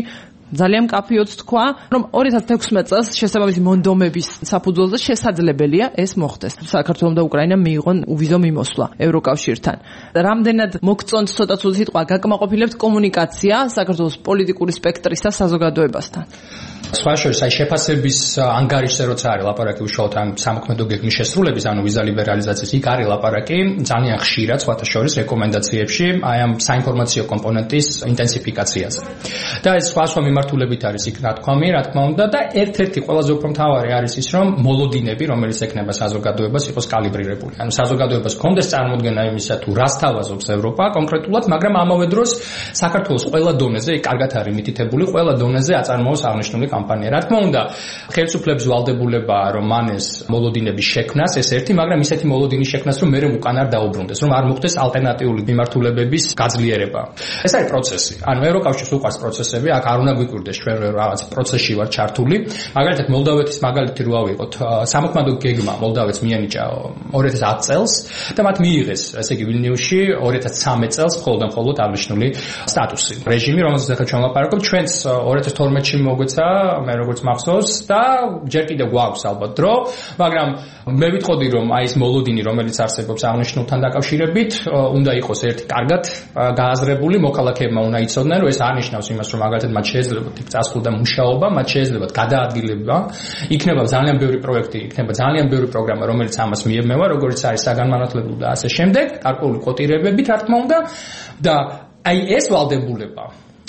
ძალიან მკაფიოდ თქვა, რომ 2016 წელს შესაბამისი მონდომების საფუძველზე შესაძლებელია ეს მოხდეს. საქართველოს და უკრაინამ მიიღონ უვიზო მიმოსვლა ევროკავშირთან. რამდენად მოგწონთ ცოტა ცუდი სიტყვა, გაკმაყოფილებთ კომუნიკაცია საქართველოს პოლიტიკური სპექტრის და საზოგადოებასთან? სხვა შორის აი შეფასების ანგარიშზე როცა არის ლაპარაკი უშუალოდ ამ სამოქმედო გეგმის შესრულების, ანუ ვიზა ლიბერალიზაციის, იქ არის ლაპარაკი ძალიან ხშირად სხვათა შორის რეკომენდაციებში აი ამ საინფორმაციო კომპონენტის ინტენსიფიკაციაზე. და ეს სხვა მიმართულებით არის იქ ნათქვამი, რა თქმა უნდა, და ერთ-ერთი ყველაზე უფრო მთავარი არის ის, რომ მოლოდინები, რომელიც ექნება საზოგადოებას, იყოს კალიბრირებული. ანუ საზოგადოებას ჰქონდეს წარმოდგენა იმისა, თუ რას თავაზობს ევროპა კონკრეტულად, მაგრამ ამავე დროს საქართველოს ყველა დონეზე, კარგად არის მითითებული, ყველა დონეზე აწარმოოს აღნიშნული კამპანია. რა თქმა უნდა, ხელისუფლების ვალდებულებაა, რომ მან ეს მოლოდინების შექმნას, ეს ერთი, მაგრამ ისეთი მოლოდინის შექმნას, რომ მერე უკან არ დაუბრუნდეს, რომ არ მოხდეს ალტერნატიული მიმართულებების გაძლიერება. ეს არის პროცესი. ანუ ევროკავშირს უყვარს პროცესები, აქ არ უნდა გვიკვირდეს ჩვენ რაღაც პროცესში ვარ ჩართული. მაგალითად, მოლდავეთის მაგალითი რო ავიღოთ, სამოქმედო გეგმა მოლდავეთს მიენიჭა 2010 წელს და მათ მიიღეს, ესე იგი ვილნიუსში 2013 წელს მხოლოდ აღნიშნული სტატუსი. რეჟიმი, რომელზეც ახლა ჩვენ ვლაპარაკობთ, ჩვენც 2012-ში მოგვეცა, მე როგორც მახსოვს და ჯერ კიდევ გვაქვს ალბათ დრო, მაგრამ მე ვიტყოდი, რომ აი ეს მოლოდინი, რომელიც არსებობს აღნიშნულთან დაკავშირებით, უნდა იყოს ერთი კარგად გააზრებული, მოქალაქეებმა უნდა იცოდნენ, რომ ეს არ ნიშნავს იმას, რომ მაგალითად მათ შეეძლებათ იქ წასვლა და მუშაობა, მათ შეეძლებათ გადაადგილება, იქნება ძალიან ბევრი პროექტი, იქნება ძალიან ბევრი პროგრამა, რომელიც ამას მიემევა, როგორც არის საგანმანათლებლო და ასე შემდეგ, გარკვეული კოტირებებით, რა თქმა უნდა, და აი ეს ვალდებულება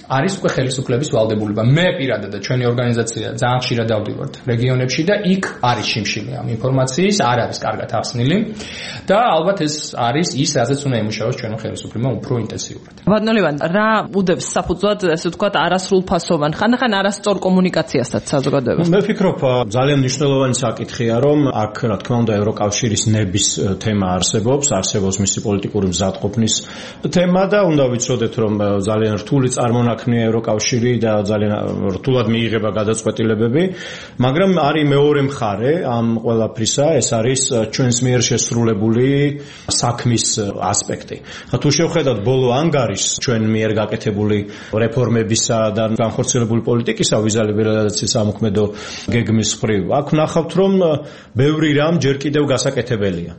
არის უკვე ხელისუფლების ვალდებულება. მე პირადად და ჩვენი ორგანიზაცია ძალიან ხშირად დავდივართ რეგიონებში და იქ არის შიმშილი ამ ინფორმაციის, არ არის კარგად ახსნილი და ალბათ ეს არის ის, რაზეც უნდა იმუშაოს ჩვენი ხელისუფლება უფრო ინტენსიურად. ბატონო ლევან, რა უდევს საფუძვლად, ესე ვთქვათ, არასრულფასოვან, ხანდახან არასწორ კომუნიკაციასაც საზოგადოებას? მე ვფიქრობ, ძალიან მნიშვნელოვანი საკითხია, რომ აქ, რა თქმა უნდა, ევროკავშირის ნების თემა არსებობს მისი პოლიტიკური მზადყოფნის თემა და უნდა ვიცოდეთ, რომ ძალიან რთული წარმონაქმნია ევროკავშირი და ძალიან რთულად მიიღება გადაწყვეტილებები, მაგრამ არის მეორე მხარე ამ ყველაფრისა, ეს არის ჩვენს მიერ შესრულებული საქმის ასპექტი. თუ შევხედავთ ბოლო ანგარიშს ჩვენ მიერ გაკეთებული რეფორმებისა და განხორციელებული პოლიტიკისა ვიზა ლიბერალიზაციის სამოქმედო გეგმის მხრივ, აქ ვნახავთ, რომ ბევრი რამ ჯერ კიდევ გასაკეთებელია.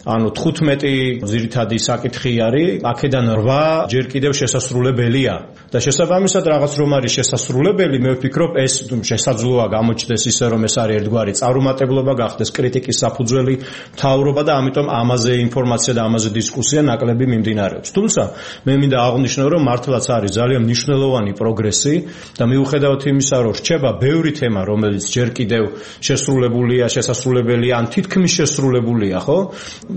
ანუ 15 ძირითადი საკითხი არის, აქედან 8 ჯერ კიდევ შესასრულებელია. და შესაბამისად რაღაც რომ არის შესასრულებელი, მე ვფიქრობ, ეს შესაძლოა გამოჩნდეს ისე, რომ ეს არის ერთგვარი წარუმატებლობა, გახდეს კრიტიკის საფუძველი მთავრობა და ამიტომ ამაზე ინფორმაცია და ამაზე დისკუსია ნაკლები მიმდინარეობს. თუმცა მე მინდა აღვნიშნო, რომ მართლაც არის ძალიან მნიშვნელოვანი პროგრესი და მიუხედავად იმისა, რომ რჩება ბევრი თემა, რომელიც ჯერ კიდევ შესრულებულია, შესასრულებელია, ან თითქმის შესრულებულია, ხო?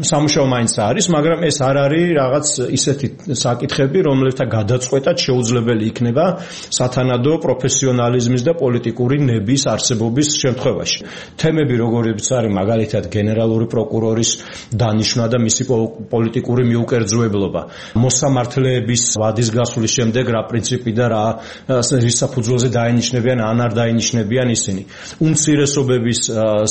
სამუშაო მაინც არის, მაგრამ ეს არ არის რაღაც ისეთი საკითხები, რომლებთა გადაწყვეტად შეუძლებელი იქნება სათანადო პროფესიონალიზმის და პოლიტიკური ნების არსებობის შემთხვევაში. თემები, როგორიც არის მაგალითად გენერალური პროკურორის დანიშვნა და მისი პოლიტიკური მიუკერძოებლობა, მოსამართლეების ვადის გასვლის შემდეგ რა პრინციპი და რა საფუძველზე დაინიშნებიან, ან არ დაინიშნებიან ისინი. უმცირესობების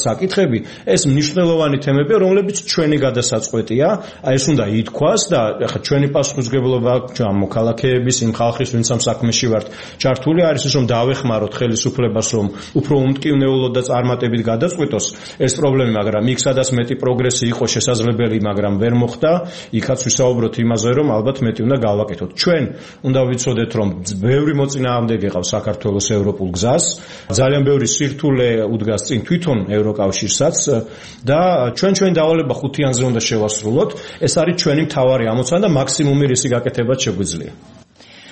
საკითხები, ეს მნიშვნელოვანი თემებია, რომლებიც ჩვენი გადასაწყვეტია, ეს უნდა ითქვას და ახლა ჩვენი პასუხისმგებლობა ამ მოქალაქეების, იმ ხალხის, ვინც ამ საქმეში ვართ ჩართული, არის ის, რომ დავეხმაროთ ხელისუფლებას, რომ უფრო უმტკივნეულოდ და წარმატებით გადაწყვეტოს ეს პრობლემა, მაგრამ იქ სადაც მეტი პროგრესი იყო შესაძლებელი, მაგრამ ვერ მოხდა, იქაც ვისაუბროთ იმაზე, რომ ალბათ მეტი უნდა გავაკეთოთ. ჩვენ უნდა ვიცოდეთ, რომ ბევრი მოწინააღმდეგე ყავს საქართველოს ევროპულ გზას, ძალიან ბევრი სირთულე უდგას წინ თვითონ ევროკავშირსაც და ჩვენი დავალება ხუთიანზე უნდა შევასრულოთ. ეს არის ჩვენი მთავარი ამოცანა და მაქსიმუმი რისი გაკეთებაც შეგვიძლია.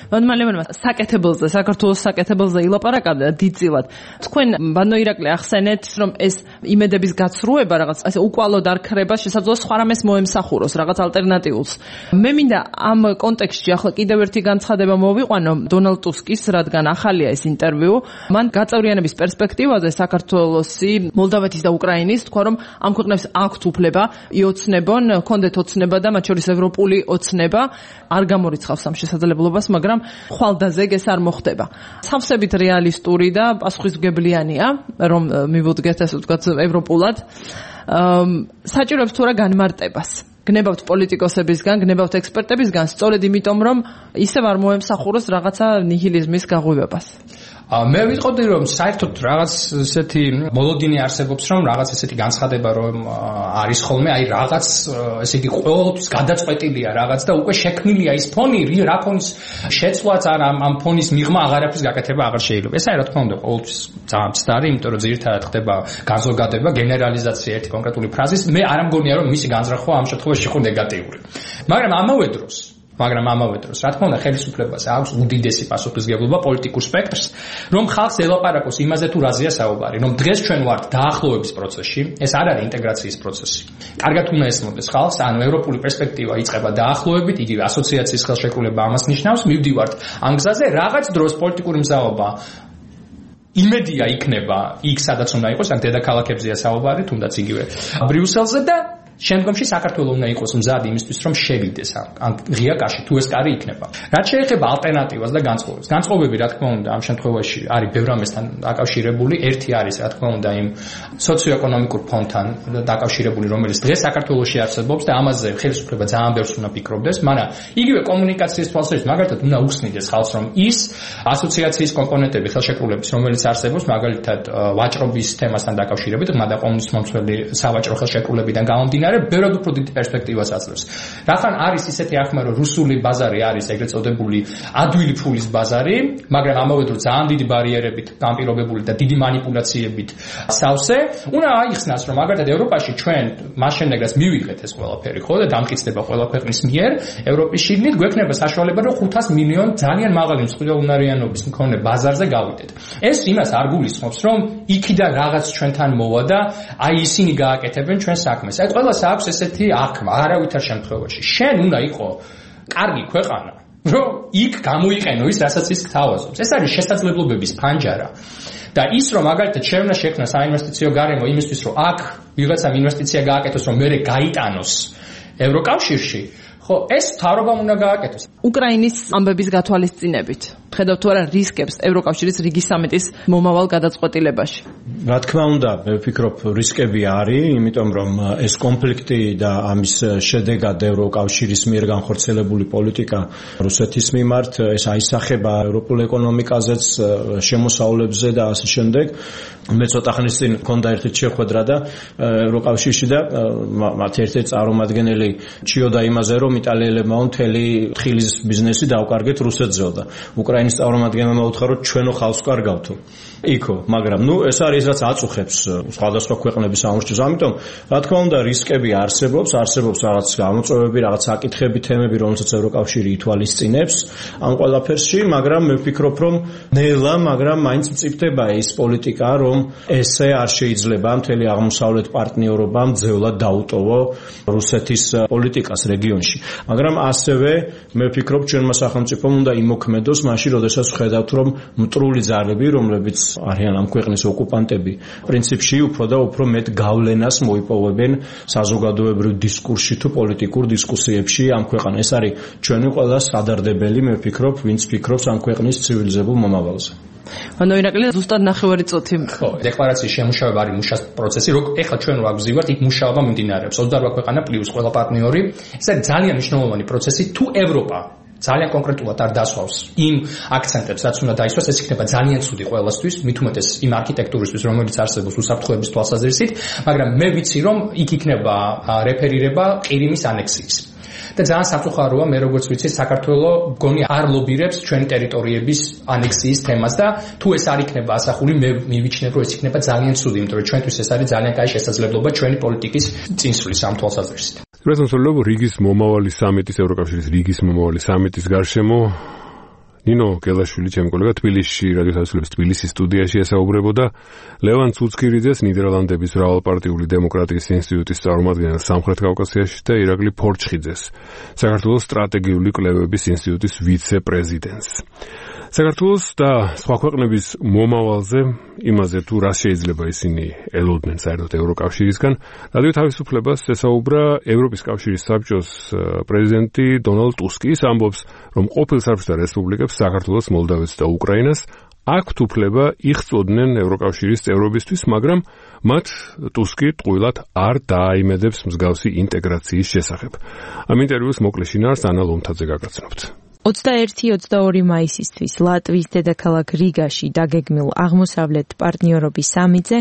ბატონო საკეთებელზე, საქართველოს საკეთებელზე ილაპარაკა დიდწილად. თქვენ ბატონო ირაკლი ახსენეთ, რომ ეს იმედების გაცრუება რაღაც ასე უკვალოდ არ ქრება, შესაძლოა სხვა რამეს მოემსახუროს, რაღაც ალტერნატიულს. მე მინდა ამ კონტექსტში ახლა კიდევ ერთი განცხადება მოვიყვანო დონალდ ტუსკის, რადგან ახალია ეს ინტერვიუ. მან გაწევრიანების პერსპექტივაზე საქართველოსი, მოლდავეთის და უკრაინის თქვა, რომ ამ ქვეყნებს აქვთ უფლება იოცნებონ, ჰქონდეთ ოცნება და მათ შორის ევროპული ოცნება, არ გამორიცხავს ამ შესაძლებლობას, მაგრამ ხვალდაზეგ ეს არ მოხდება. სავსებით რეალისტური და პასუხისმგებლიანია, რომ მივუდგეთ ასე ვთქვათ ევროპულად. საჭიროებს თუ რა განმარტებას. გნებავთ პოლიტიკოსებისგან, გნებავთ ექსპერტებისგან, სწორედ იმიტომ, რომ ისევ არ მოემსახუროს რაღაცა ნიჰილიზმის გაღვივებას. მე ვიტყოდი, რომ საერთოდ რაღაც ესეთი მოლოდინი არსებობს, რომ რაღაც ესეთი განცხადება რომ არის ხოლმე, აი რაღაც ესე იგი ყოველთვის გადაწყვეტილია რაღაც და უკვე შექმნილია ის ფონი, რა ფონის შეცვლაც არ ამ ფონის მიღმა აღარაფრის გაკეთება აღარ შეიძლება. ეს არის რა თქმა უნდა ყოველთვის ძალიან მცდარი, იმიტომ რომ ძირითადად ხდება განზოგადება, გენერალიზაცია ერთი კონკრეტული ფრაზის. მე არ მგონია რომ მისი განზრახვა ამ შემთხვევაში იყო ნეგატიური. მაგრამ ამავე დროს, რა თქმა უნდა, ხელისუფლებას აქვს უდიდესი პასუხისმგებლობა პოლიტიკურ სპექტრს, რომ ხალხს ელაპარაკოს იმაზე თუ რაზეა საუბარი, რომ დღეს ჩვენ ვართ დაახლოების პროცესში, ეს არ არის ინტეგრაციის პროცესი. კარგად უნდა ესმოდეს ხალხს, ანუ ევროპული პერსპექტივა იწყება დაახლოებით, იგივე ასოციაციის ხელშეკრულება ამას ნიშნავს, მივდივართ ამ გზაზე, რაღაც დროს პოლიტიკური მზაობა იმედია იქნება იქ, სადაც უნდა იყოს, ან დედაქალაქებზეა საუბარი, თუნდაც იგივე ბრიუსელზე და შემდგომში საქართველოს უნდა იყოს მზად იმისთვის, რომ შევიდეს ამ ღია კაში, თუ ეს კარი იქნება. რაც შეეხება ალტერნატივას და განწყობებს. განწყობები, რა თქმა უნდა, ამ შემთხვევაში არის ბევრ რამესთან დაკავშირებული. ერთი არის, რა თქმა უნდა, იმ სოციოეკონომიკურ ფონდთან დაკავშირებული, რომელიც დღეს საქართველოში არსებობს და ამაზე ხელისუფლება ძალიან ბევრს უნდა ფიქრობდეს, მაგრამ იგივე კომუნიკაციის თვალსაზრისით, მაგალითად, უნდა უხსნიდეს ხალხს, რომ ის ასოციაციის კომპონენტები ხელშეკრულების, რომელიც არსებობს, მაგალითად, ვაჭრობის თემასთან დაკავშირებით, ღრმა და ყოვლისმომცველი სავაჭრო ხელშეკრულებიდან გამომდინარე, გამომდინარე, ბევრად უფრო დიდი პერსპექტივას აძლევს. რახან არის ისეთი აღქმა, რომ რუსული ბაზარი არის ეგრეთ წოდებული ადვილი ფულის ბაზარი, მაგრამ ამავე დროს ძალიან დიდი ბარიერებით გამპირობებული და დიდი манипуляციებით სავსე, უნდა აიხსნას, რომ მაგალითად ევროპაში ჩვენ მას შემდეგ რაც მივიღეთ ეს ყველაფერი, ხო და დამტკიცდება ყველა ქვეყნის მიერ, ევროპის შიგნით გვექნება საშუალება, რომ 500 მილიონი ძალიან მაღალი მსხვილოვნარიანობის მქონე ბაზარზე გავიდეთ. ეს იმას არ გულისხმობს, რომ იქიდან რაღაც ჩვენთან მოვა და აი ისინი გააკეთებენ ჩვენ საქმეს. აი ყველას აქვს ესეთი აღქმა, არავითარ შემთხვევაში. შენ უნდა იყო კარგი ქვეყანა, რომ იქ გამოიყენო ის, რასაც ის გთავაზობს. ეს არის შესაძლებლობების ფანჯარა. და ის რომ მაგალითად შეგვნა შექმნა საინვესტიციო გარემო იმისთვის, რომ აქ ვიღაცამ ინვესტიცია გააკეთოს, რომ მერე გაიტანოს ევროკავშირში, ხო, ეს თავრობამ უნდა გააკეთოს. უკრაინის ამბების გათვალისწინებით ხედავთ თუ არა რისკებს ევროკავშირის რიგის სამიტის მომავალ გადაწყვეტილებაში? რა თქმა უნდა, მე ვფიქრობ, რისკები არის, იმიტომ რომ ეს კონფლიქტი და ამის შედეგად ევროკავშირის მიერ განხორციელებული პოლიტიკა რუსეთის მიმართ, ეს აისახება ევროპულ ეკონომიკაზეც, შემოსავლებზე და ასე შემდეგ. მე ცოტა ხნის წინ მქონდა ერთი შეხვედრა და ევროკავშირში და მათი ერთ-ერთი წარმომადგენელი ჭიოდა იმაზე, რომ იტალიელებმა მთელი თხილის ბიზნესი დაუკარგეთ რუსეთზეო და უკრაინის წარმომადგენელმა მოუთხა, რომ ჩვენო ხალხს კარგავთო. იქო, მაგრამ ეს არის რაც აწუხებს სხვადასხვა ქვეყნების სამუშაოს. ამიტომ, რა თქმა უნდა, რისკები არსებობს რაღაც გამოწვევები, რაღაც საკითხები, თემები, რომელსაც ევროკავშირი ითვალისწინებს ამ ყველაფერში, მაგრამ მე ვფიქრობ, რომ ნელა, მაგრამ მაინც მწიფდება ის პოლიტიკა, რომ ესე არ შეიძლება მთელი აღმოსავლეთ პარტნიორობამ ძევლად დაუტოვო რუსეთის პოლიტიკას რეგიონში. მაგრამ ასევე მე ვფიქრობ, ჩვენმა სახელმწიფომ უნდა იმოქმედოს მაშინ, როდესაც ხედავთ, რომ მტრული ძალები, რომლებიც არიან ამ ქვეყნის ოკუპანტები, პრინციპში უფრო და უფრო მეტ გავლენას მოიპოვებენ საზოგადოებრივ დისკურსში თუ პოლიტიკურ დისკუსიებში ამ ქვეყანას. ეს არის ჩვენი ყველა სადარდებელი, მე ვფიქრობ, ვინც ფიქრობს ამ ქვეყნის ცივილიზებულ მომავალზე. ანუ ირაკლი ზუსტად ნახევარი წუთი. ხო, დეკლარაციის შემუშავება არის მუშას პროცესი, ეხლა ჩვენ რა გვზივართ, იქ მუშაობა მიმდინარეობს. 28 ქვეყანა პლუს ყველა პარტნიორი. ეს არის ძალიან მნიშვნელოვანი პროცესი, თუ ევროპა ძალიან კონკრეტულად არ დასვავს იმ აქცენტებს, რაც უნდა დაისვას, ეს იქნება ძალიან ცუდი ყველასთვის, მით უმეტეს იმ არქიტექტურისთვის, რომელიც არსებობს უსაფრთხოების თვალსაზრისით, მაგრამ მე ვიცი, რომ იქ იქნება რეფერირება ყირიმის ანექსიის. და ძალიან სამწუხაროა, მე როგორც ვიცი, საქართველო მგონი არ ლობირებს ჩვენი ტერიტორიების ანექსიის თემას და თუ ეს არ იქნება ასახული, მე მივიჩნევ, რომ ეს იქნება ძალიან ცუდი, იმიტომ რომ ჩვენთვის ეს არის ძალიან კაი შესაძლებლობა ჩვენი პოლიტიკის წინსვლის ამ თვალსაზრისით. პრეზიდენტ რიგის მომავალი სამიტის ევროკავშირის რიგის მომავალი სამიტის გარშემო ნინო გელაშვილი, ჩემი კოლეგა თბილისში, რადიო თავისუფლების თბილისის სტუდიაში ესაუბრებოდა ლევან ცუცქირიძეს, ნიდერლანდების მრავალპარტიული დემოკრატიის ინსტიტუტის წარმომადგენელს სამხრეთ კავკასიაში და ირაკლი ფორჩხიძეს, საქართველოს სტრატეგიული კვლევების ინსტიტუტის ვიცე-პრეზიდენტს. საქართველოს და სხვა ქვეყნების მომავალზე, იმაზე თუ რა შეიძლება ისინი ელოდნენ საერთოდ ევროკავშირისგან, რადიო თავისუფლებას ესაუბრა ევროპის კავშირის საბჭოს პრეზიდენტი დონალდ ტუსკი. ის ამბობს, რომ ყოფილ საბჭოთა რესპუბლიკებს საქართველოს, მოლდავეთს და უკრაინას აქვთ უფლება იხწოდნენ ევროკავშირის წევრობისთვის, მაგრამ მათ ტუსკი ტყუილად არ დააიმედებს მსგავსი ინტეგრაციის შესახებ. ამ ინტერვიუს მოკლე შინაარსს ანა ლომთაძე გაგაცნობთ. 21-22 მაისისთვის ლატვიის დედაქალაქ რიგაში დაგეგმილ აღმოსავლეთ პარტნიორობის სამიტზე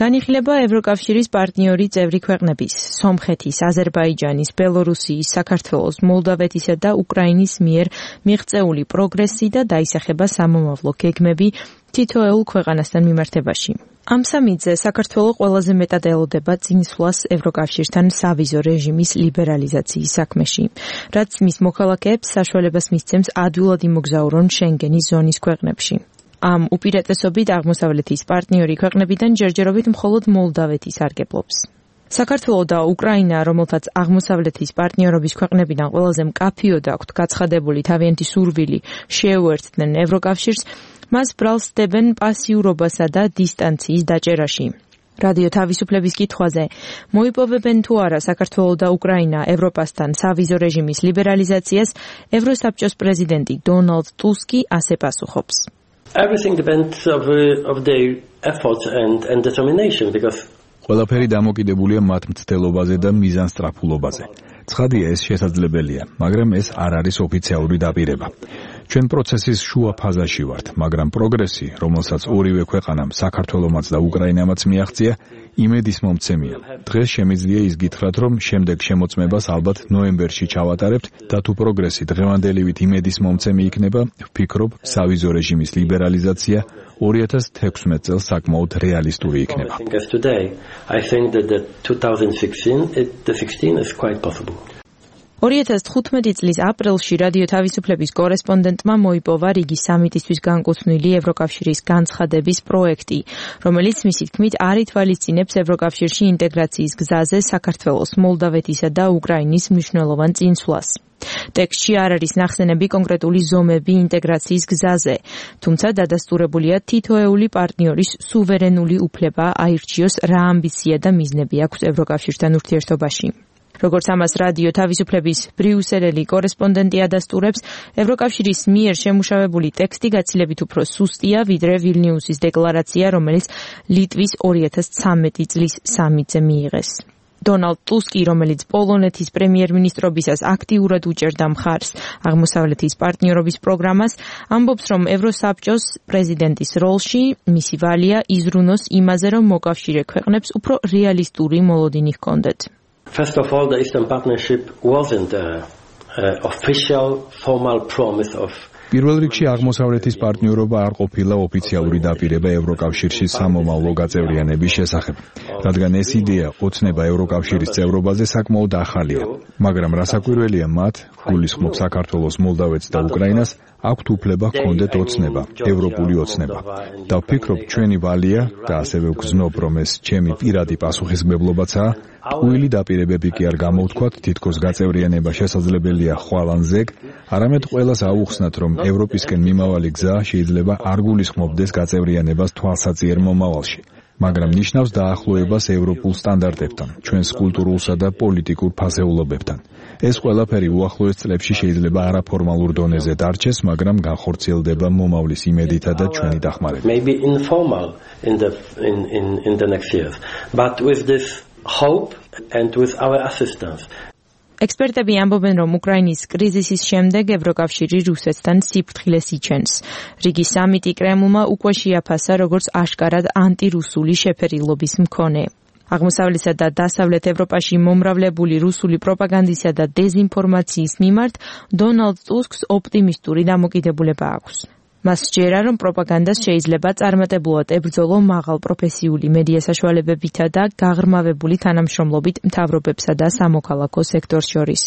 განიხილება ევროკავშირის პარტნიორი წევრი ქვეყნების სომხეთის, აზერბაიჯანის, ბელორუსიის, საქართველოს, მოლდავეთისა და უკრაინის მიერ მიღწეული პროგრესი და დაისახება სამომავლო გეგმები თითოეულ ქვეყანასთან მიმართებაში. ამ სამიტზე საქართველო ყველაზე მეტად ელოდება წინსვლას ევროკავშირთან სავიზო რეჟიმის ლიბერალიზაციის საქმეში, რაც მის მოქალაქეებს საშუალებას მისცემს ადვილად იმოგზაურონ შენგენის ზონის ქვეყნებში. ამ უპირატესობით აღმოსავლეთის პარტნიორი ქვეყნებიდან ჯერჯერობით მხოლოდ მოლდავეთი სარგებლობს. საქართველო და უკრაინა, რომელთაც აღმოსავლეთის პარტნიორობის ქვეყნებიდან ყველაზე მკაფიოდ აქვთ გაცხადებული თავიანთი სურვილი შეუერთდნენ ევროკავშირს, მას ბრალს დებენ პასიურობასა და დისტანციის დაჭერაში. რადიო თავისუფლების კითხვაზე მოიპოვებენ თუ არა საქართველო და უკრაინა ევროპასთან სავიზო რეჟიმის ლიბერალიზაციას, ევროსაბჭოს პრეზიდენტი დონალდ ტუსკი ასე პასუხობს. Everything depends of their effort and determination because ყველაფერი დამოკიდებულია მათ მცდელობაზე და მიზანსტრაფულობაზე. ცხადია, ეს შესაძლებელია, მაგრამ ეს არ არის ოფიციალური დაპირება. ჩვენ პროცესის შუა ფაზაში ვართ, მაგრამ პროგრესი, რომელსაც ორივე ქვეყანამ, საქართველომაც და უკრაინამაც მიაღწია, იმედის მომცემია. დღეს შემიძლია ის გითხრათ, რომ შემდეგ შემოწმებას ალბათ ნოემბერში ჩავატარებთ და თუ პროგრესი დღევანდელივით იმედის მომცემი იქნება, ვფიქრობ, სავიზო რეჟიმის ლიბერალიზაცია 2016 წელს საკმაოდ რეალისტური იქნება. I think that the 2016 is quite possible. 2015 წლის april-ში რადიო თავისუფლების კორესპონდენტმა მოიპოვა რიგის სამიტისთვის განკუთვნილი ევროკავშირის განცხადების პროექტი, რომელიც მისი თქმით არ ითვალისწინებს ევროკავშირში ინტეგრაციის გზაზე საქართველოს, მოლდავეთისა და უკრაინის მნიშვნელოვან წინსვლას. ტექსტში არ არის ნახსენები კონკრეტული ზომები ინტეგრაციის გზაზე, თუმცა დადასტურებულია თითოეული პარტნიორის სუვერენული უფლება აირჩიოს რა ამბიცია და მიზნები აქვს ევროკავშირთან ურთიერთობაში. როგორც ამას რადიო თავისუფლების ბრიუსელელი კორესპონდენტი ადასტურებს, ევროკავშირის მიერ შემუშავებული ტექსტი გაცილებით უფრო სუსტია, ვიდრე ვილნიუსის დეკლარაცია, რომელიც ლიტვის 2013 წლის სამიტზე მიიღეს. დონალდ ტუსკი, რომელიც პოლონეთის პრემიერ-მინისტრობისას აქტიურად უჭერდა მხარს აღმოსავლეთის პარტნიორობის პროგრამას, ამბობს, რომ ევროსაბჭოს პრეზიდენტის როლში მისი ვალია იზრუნოს იმაზე, რომ მოკავშირე ქვეყნებს უფრო რეალისტური მოლოდინი ჰქონდეთ. First of all, the Eastern Partnership wasn't an official, formal promise of პირველ რიგში აღმოსავლეთის პარტნიორობა არ ყოფილა ოფიციალური დაპირება ევროკავშირში სამომავლო გაწევრიანების შესახებ, რადგან ეს იდეა ოცნება ევროკავშირის წევრობაზე საკმაოდ ახალია, მაგრამ რასაკვირველია მათ, გულისხმობ საქართველოს, მოლდავეთს და უკრაინას, აქვთ უფლება ჰქონდეთ ოცნება, ევროპული ოცნება. და ვფიქრობ, ჩვენი ვალია და ასევე ვგზნობ, რომ ეს ჩემი პირადი პასუხისმგებლობაცაა, ტყუილი დაპირებები კი არ გამოვთქვათ, თითქოს გაწევრიანება შესაძლებელია ხვალ ან ზეგ, არამედ ყველას აუხსნათ, რომ ევროპისკენ მიმავალი გზა შეიძლება არ გულისხმობდეს გაწევრიანებას თვალსაწიერ მომავალში, მაგრამ ნიშნავს დაახლოებას ევროპულ სტანდარტებთან, ჩვენს კულტურულსა და პოლიტიკურ ფასეულობებთან. ეს ყველაფერი უახლოეს წლებში შეიძლება არაფორმალურ დონეზე დარჩეს, მაგრამ განხორციელდება მომავლის იმედითა და ჩვენი დახმარებით. Maybe informal in the next years, but with this hope and with our assistance. ექსპერტები ამბობენ, რომ უკრაინის კრიზისის შემდეგ ევროკავშირი რუსეთთან სიფრთხილეს იჩენს. რიგის სამიტი კრემლმა უკვე შეაფასა, როგორც აშკარად ანტირუსული შეფერილობის მქონე. აღმოსავლეთსა და დასავლეთ ევროპაში მომრავლებული რუსული პროპაგანდისა და დეზინფორმაციის მიმართ დონალდ ტუსკს ოპტიმისტური დამოკიდებულება აქვს. მას სჯერა, რომ პროპაგანდას შეიძლება წარმატებულად ებრძოლო მაღალ პროფესიული მედია საშუალებებითა და გაღრმავებული თანამშრომლობით მთავრობებსა და სამოქალაქო სექტორს შორის.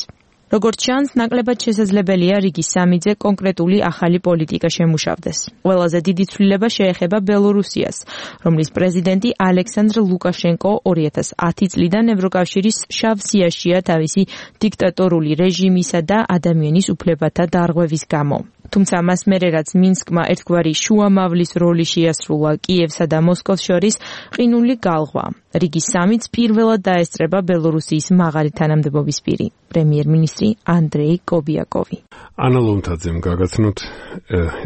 როგორც ჩანს, ნაკლებად შესაძლებელია რიგის სამიტზე კონკრეტული ახალი პოლიტიკა შემუშავდეს. ყველაზე დიდი ცვლილება შეეხება ბელორუსიას, რომლის პრეზიდენტი ალექსანდრ ლუკაშენკო 2010 წლიდან ევროკავშირის შავ სიაშია თავისი დიქტატორული რეჟიმისა და ადამიანის უფლებათა დარღვევის გამო. თუმცა მას მერე რაც მინსკმა ერთგვარი შუამავლის როლი შეასრულა კიევსა და მოსკოვს შორის, ყინული გალღვა. რიგის სამიტს პირველად დაესწრება ბელორუსიის მაღალი თანამდებობის პირი, პრემიერ-მინისტრი ანდრეი კობიაკოვი. ანა ლომთაძემ გაგაცნოთ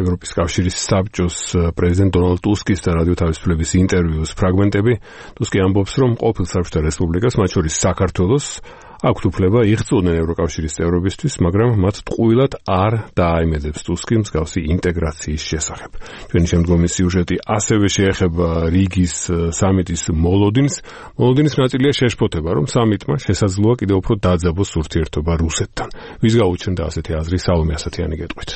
ევროპის კავშირის საბჭოს პრეზიდენტ დონალდ ტუსკის და რადიო თავისუფლების ინტერვიუს ფრაგმენტები. ტუსკი ამბობს, რომ ყოფილ საბჭოთა რესპუბლიკას, მათ შორის საქართველოს, აქვთ უფლება იხწოდნენ ევროკავშირის წევრობისთვის, მაგრამ მათ ტყუილად არ დააიმედებს ტუსკი მსგავსი ინტეგრაციის შესახებ. ჩვენი შემდგომი სიუჟეტი ასევე შეეხება რიგის სამიტის მოლოდინს. მოლოდინის ნაწილია შეშფოთება, რომ სამიტმა შესაძლოა კიდევ უფრო დაძაბოს ურთიერთობა რუსეთთან. ვის გაუჩნდა ასეთი აზრი, სალომე ასათიანი გეტყვით.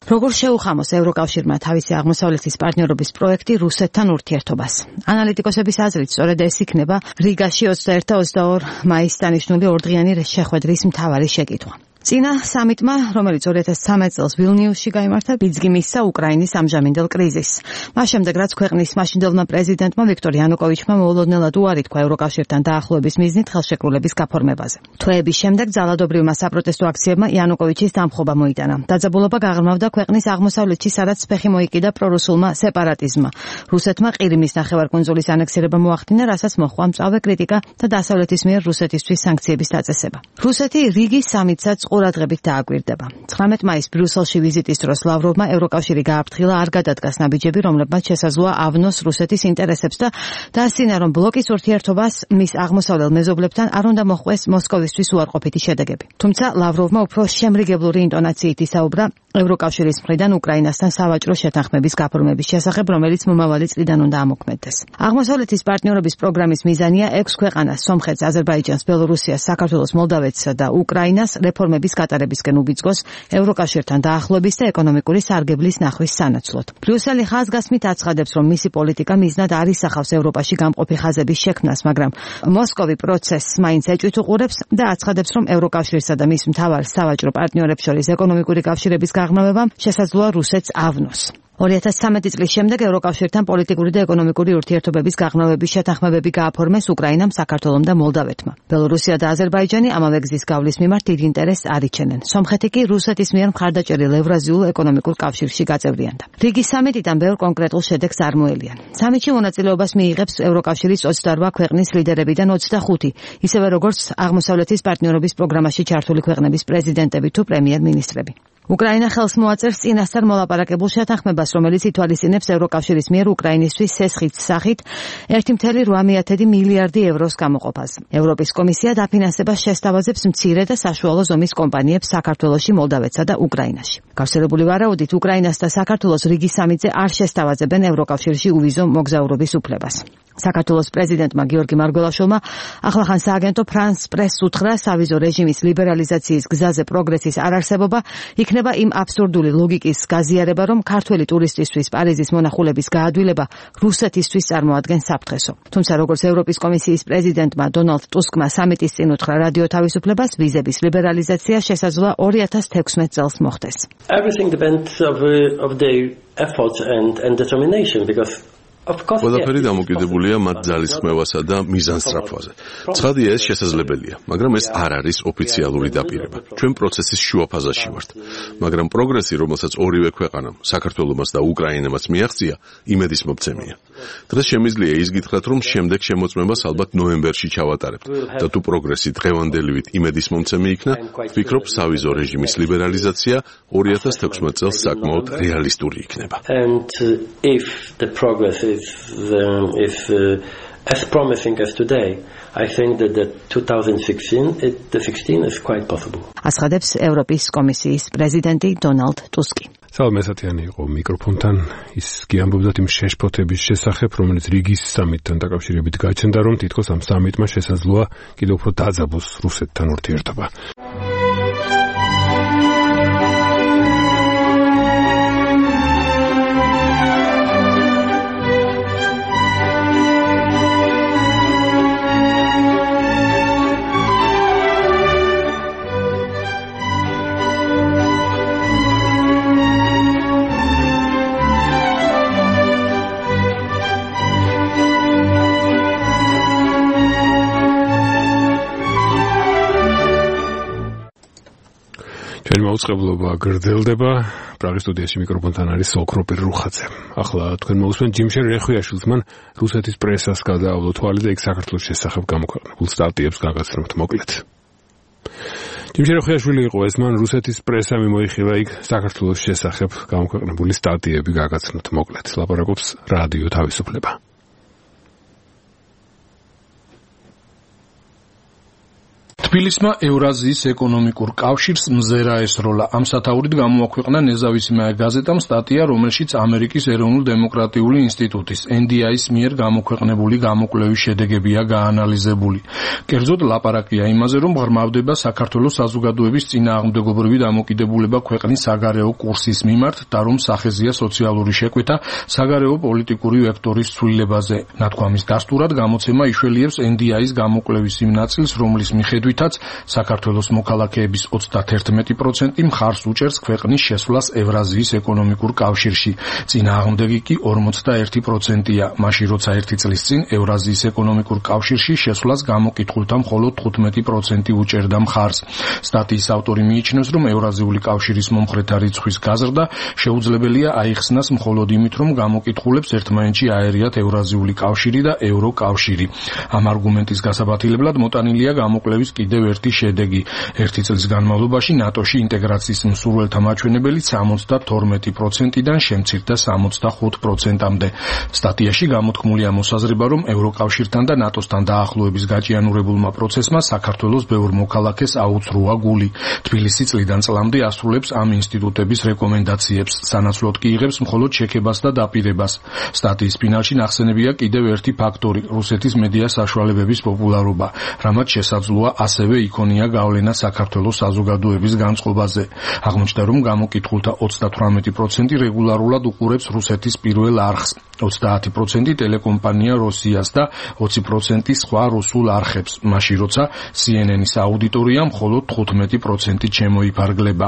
როგორ შეუხამოს ევროკავშირმა თავისი აღმოსავლეთის პარტნიორობის პროექტი რუსეთთან ურთიერთობას? ანალიტიკოსების აზრით, სწორედ ეს იქნება რიგაში 21 და 22 მაისს დანიშნული ორდღიანი შეხვედრის მთავარი შეკითხვა. წინა სამიტმა, რომელიც 2013 წელს ვილნიუსში გაიმართა, ბიძგი მისცა უკრაინის ამჟამინდელ კრიზისს. მას შემდეგ, რაც ქვეყნის მაშინდელმა პრეზიდენტმა ვიქტორ იანუკოვიჩმა მოულოდნელად უარი თქვა ევროკავშირთან დაახლოების მიზნით ხელშეკრულების გაფორმებაზე. თვეების შემდეგ ძალადობრივმა საპროტესტო აქციებმა იანუკოვიჩის დამხობა მოიტანა. დაძაბულობა გაღრმავდა ქვეყნის აღმოსავლეთში, სადაც ფეხი მოიკიდა პრორუსულმა სეპარატიზმმა. რუსეთმა ყირიმის ნახევარკუნძულის ანექსირება მოახდინა, რასაც მოჰყვა მწვავე კრიტიკა და დასავლეთის მიერ რუსეთისთვის სანქციების დაწესება. რუსეთი რიგის სამიტსაც ყურადღებით დააკვირდება. 19 მაისს ბრიუსელში ვიზიტის დროს ლავროვმა ევროკავშირი გააფრთხილა არ გადადგას ნაბიჯები, რომლებმაც შესაძლოა ავნოს რუსეთის ინტერესებს და დაასწინა, რომ ბლოკის ურთიერთობას მის აღმოსავლელ მეზობლებთან არ უნდა მოხვდეს მოსკოვისთვის უარყოფითი შედეგები. თუმცა ლავროვმა უფრო შემრიგებლური ინტონაციით ისაუბრა ევროკავშირის მხრიდან უკრაინასთან სავაჭრო შეთანხმების გაფორმების შესახებ, რომელიც მომავალი წლიდან უნდა ამოქმედდეს. აღმოსავლეთის პარტნიორობის პროგრამის მიზანია 6 ქვეყანას, სომხეთს, აზერბაიჯანს, ბელორუსიას, საქართველოს, მოლდავეთსა და უკრაინას რეფორმების გატარებისკენ უბიძგოს ევროკავშირთან დაახლოების და ეკონომიკური სარგებლის ნახვის სანაცვლოდ. ბრიუსელი ხაზგასმით აცხადებს, რომ მისი პოლიტიკა მიზნად არ ისახავს ევროპაში გამყოფი ხაზების შექმნას, მაგრამ მოსკოვი პროცესს მაინც ეჭვით უყურებს და აცხადებს, რომ ევროკავშირსა და მის მთავარ სავაჭრო პარტნიორებს შორის ეკონომიკური კავშირების გაღრმავებამ შესაძლოა რუსეთს ავნოს. 2013 წლის შემდეგ ევროკავშირთან პოლიტიკური და ეკონომიკური ურთიერთობების გაღრმავების შეთანხმებები გააფორმეს უკრაინამ, საქართველომ და მოლდავეთმა. ბელორუსია და აზერბაიჯანი ამავე გზის გავლის მიმართ დიდ ინტერესს არ იჩენენ. სომხეთი კი რუსეთის მიერ მხარდაჭერილ ევრაზიულ ეკონომიკურ კავშირში გაწევრიანდა. რიგის სამიტიდან ბევრ კონკრეტულ შედეგს არ მოელიან. სამიტში მონაწილეობას მიიღებს ევროკავშირის 28 ქვეყნის ლიდერებიდან 25, ისევე როგორც აღმოსავლეთის პარტნიორობის პროგრამაში ჩართული ქვეყნების პრეზიდენტები თუ პრემიერ-მინისტრები. უკრაინა ხელს მოაწერს წინასწარ მოლაპარაკებულ შეთანხმებას, რომელიც ითვალისწინებს ევროკავშირის მიერ უკრაინისთვის სესხის სახით 1,8 მილიარდი ევროს გამოყოფას. ევროპის კომისია დაფინანსებას შესთავაზებს მცირე და საშუალო ზომის კომპანიებს საქართველოში, მოლდავეთსა და უკრაინაში. გავრცელებული ვარაუდით, უკრაინას და საქართველოს რიგის სამიტზე არ შესთავაზებენ ევროკავშირში უვიზო მოგზაურობის უფლებას. საქართველოს პრეზიდენტმა გიორგი მარგველაშვილმა ახლახან სააგენტო ფრანს პრესს უთხრა, სავიზო რეჟიმის ლიბერალიზაციის გზაზე პროგრესის არარსებობა იქნება იმ აბსურდული ლოგიკის გაზიარება, რომ ქართველი ტურისტისთვის პარიზის მონახულების გაადვილება რუსეთისთვის წარმოადგენს საფრთხესო. თუმცა როგორც ევროპის კომისიის პრეზიდენტმა დონალდ ტუსკმა სამიტის წინ უთხრა რადიო თავისუფლებას, ვიზების ლიბერალიზაცია შესაძლოა 2016 წელს მოხდეს. Everything depends of their efforts and determination because ყველაფერი დამოკიდებულია მათ ძალისხმევასა და მიზანსწრაფვაზე. ცხადია, ეს შესაძლებელია, მაგრამ ეს არ არის ოფიციალური დაპირება. ჩვენ პროცესის შუა ფაზაში ვართ, მაგრამ პროგრესი, რომელსაც ორივე ქვეყანამ, საქართველომაც და უკრაინამაც მიაღწია, იმედის მომცემია. დღეს შემიძლია ის გითხრათ, რომ შემდეგ შემოწმებას ალბათ ნოემბერში ჩავატარებთ და თუ პროგრესი დღევანდელივით იმედის მომცემი იქნა, ვფიქრობ, სავიზო რეჟიმის ლიბერალიზაცია 2016 წელს საკმაოდ რეალისტური იქნება. If as promising as today, I think that the 2016 is quite possible. ასხადებს ევროპის კომისიის პრეზიდენტი დონალდ ტუსკი. სალმესათიანი იყო მიკროფონთან, ის გიამბობდა იმ შეშფოთების შესახებ, რომელიც რიგის სამიტთან დაკავშირებით გაჩნდა, რომ თითქოს ამ სამიტმა შესაძლოა კიდევ უფრო დაძაბოს რუსეთთან ურთიერთობა. მოუწყებლობა გრძელდება. პრაღის სტუდიაში მიკროფონთან არის სოკროპირ რუხაძე. ახლა თქვენ მოусმენთ ჯიმშენ რეხვიაშვილს, მან რუსეთის პრესას გადაავლო თვალი და იქ საქართველოს შესახებ გამოქვეყნებულ სტატიებს გაგაცნობთ მოკლედ. ჯიმშენ რეხვიაშვილი იყო ეს, მან რუსეთის პრესა მიმოიხილა იქ საქართველოს შესახებ გამოქვეყნებული სტატიები გაგაცნობთ მოკლედ. ლაპარაკობს რადიო თავისუფლება. თბილისმა ევრაზიის ეკონომიკურ კავშირს მზერა ესროლა. ამ სათაურით გამოაქვეყნა ნეზავისმაე გაზეტამ სტატია, რომელშიც ამერიკის ეროვნულ-დემოკრატიული ინსტიტუტის NDI-ის მიერ გამოქვეყნებული გამოკვლევის შედეგებია გაანალიზებული. კერძოდ ლაპარაკია იმაზე, რომ ღრმავდება საქართველოს საზოგადოების წინააღმდეგობრივი დამოკიდებულება ქვეყნის საგარეო კურსის მიმართ და რომ სახეზია სოციალური შეკვეთა საგარეო პოლიტიკური ვექტორის ცვლილებაზე. ნათქვამის დასტურად გამოცემა იშველიებს NDI-ის გამოკვლევის იმ ნაწილს, რომლის მიხედვითაც საქართველოს მოქალაქეების 31% მხარს უჭერს ქვეყნის შესვლას ევრაზიის ეკონომიკურ კავშირში. წინააღმდეგი კი 41%-ია. მაშინ როცა 1 წლის წინ ევრაზიის ეკონომიკურ კავშირში შესვლას გამოკითხულთა მხოლოდ 15% უჭერდა მხარს. სტატიის ავტორი მიიჩნევს, რომ ევრაზიული კავშირის მომხრეთა რიცხვის გაზრდა შეუძლებელია აიხსნას მხოლოდ იმით, რომ გამოკითხულებს ერთმანეთში აერიათ ევრაზიული კავშირი და ევროკავშირი. ამ არგუმენტის გასაბათილებლად მოტანილია გამოკვლევის კიდევ კიდევ ერთი შედეგი. ერთი წლის განმავლობაში ნატოში ინტეგრაციის მსურველთა მაჩვენებელი 72%-დან შემცირდა 65%-მდე. სტატიაში გამოთქმულია მოსაზრება, რომ ევროკავშირთან და ნატოსთან დაახლოების გაჭიანურებულმა პროცესმა საქართველოს ბევრ მოქალაქეს აუცრუა გული. თბილისი წლიდან წლამდე ასრულებს ამ ინსტიტუტების რეკომენდაციებს, სანაცვლოდ კი იღებს მხოლოდ შექებას და დაპირებას. სტატიის ფინალში ნახსენებია კიდევ ერთი ფაქტორი, რუსეთის მედია საშუალებების პოპულარობა, რამაც შესაძლოა ასევე იქონია გავლენა საქართველოს საზოგადოების განწყობაზე. აღმოჩნდა, რომ გამოკითხულთა 38% რეგულარულად უყურებს რუსეთის პირველ არხს, 30% ტელეკომპანია როსიას და 20% სხვა რუსულ არხებს, მაშინ როცა CNN-ის აუდიტორია მხოლოდ 15% შემოიფარგლება.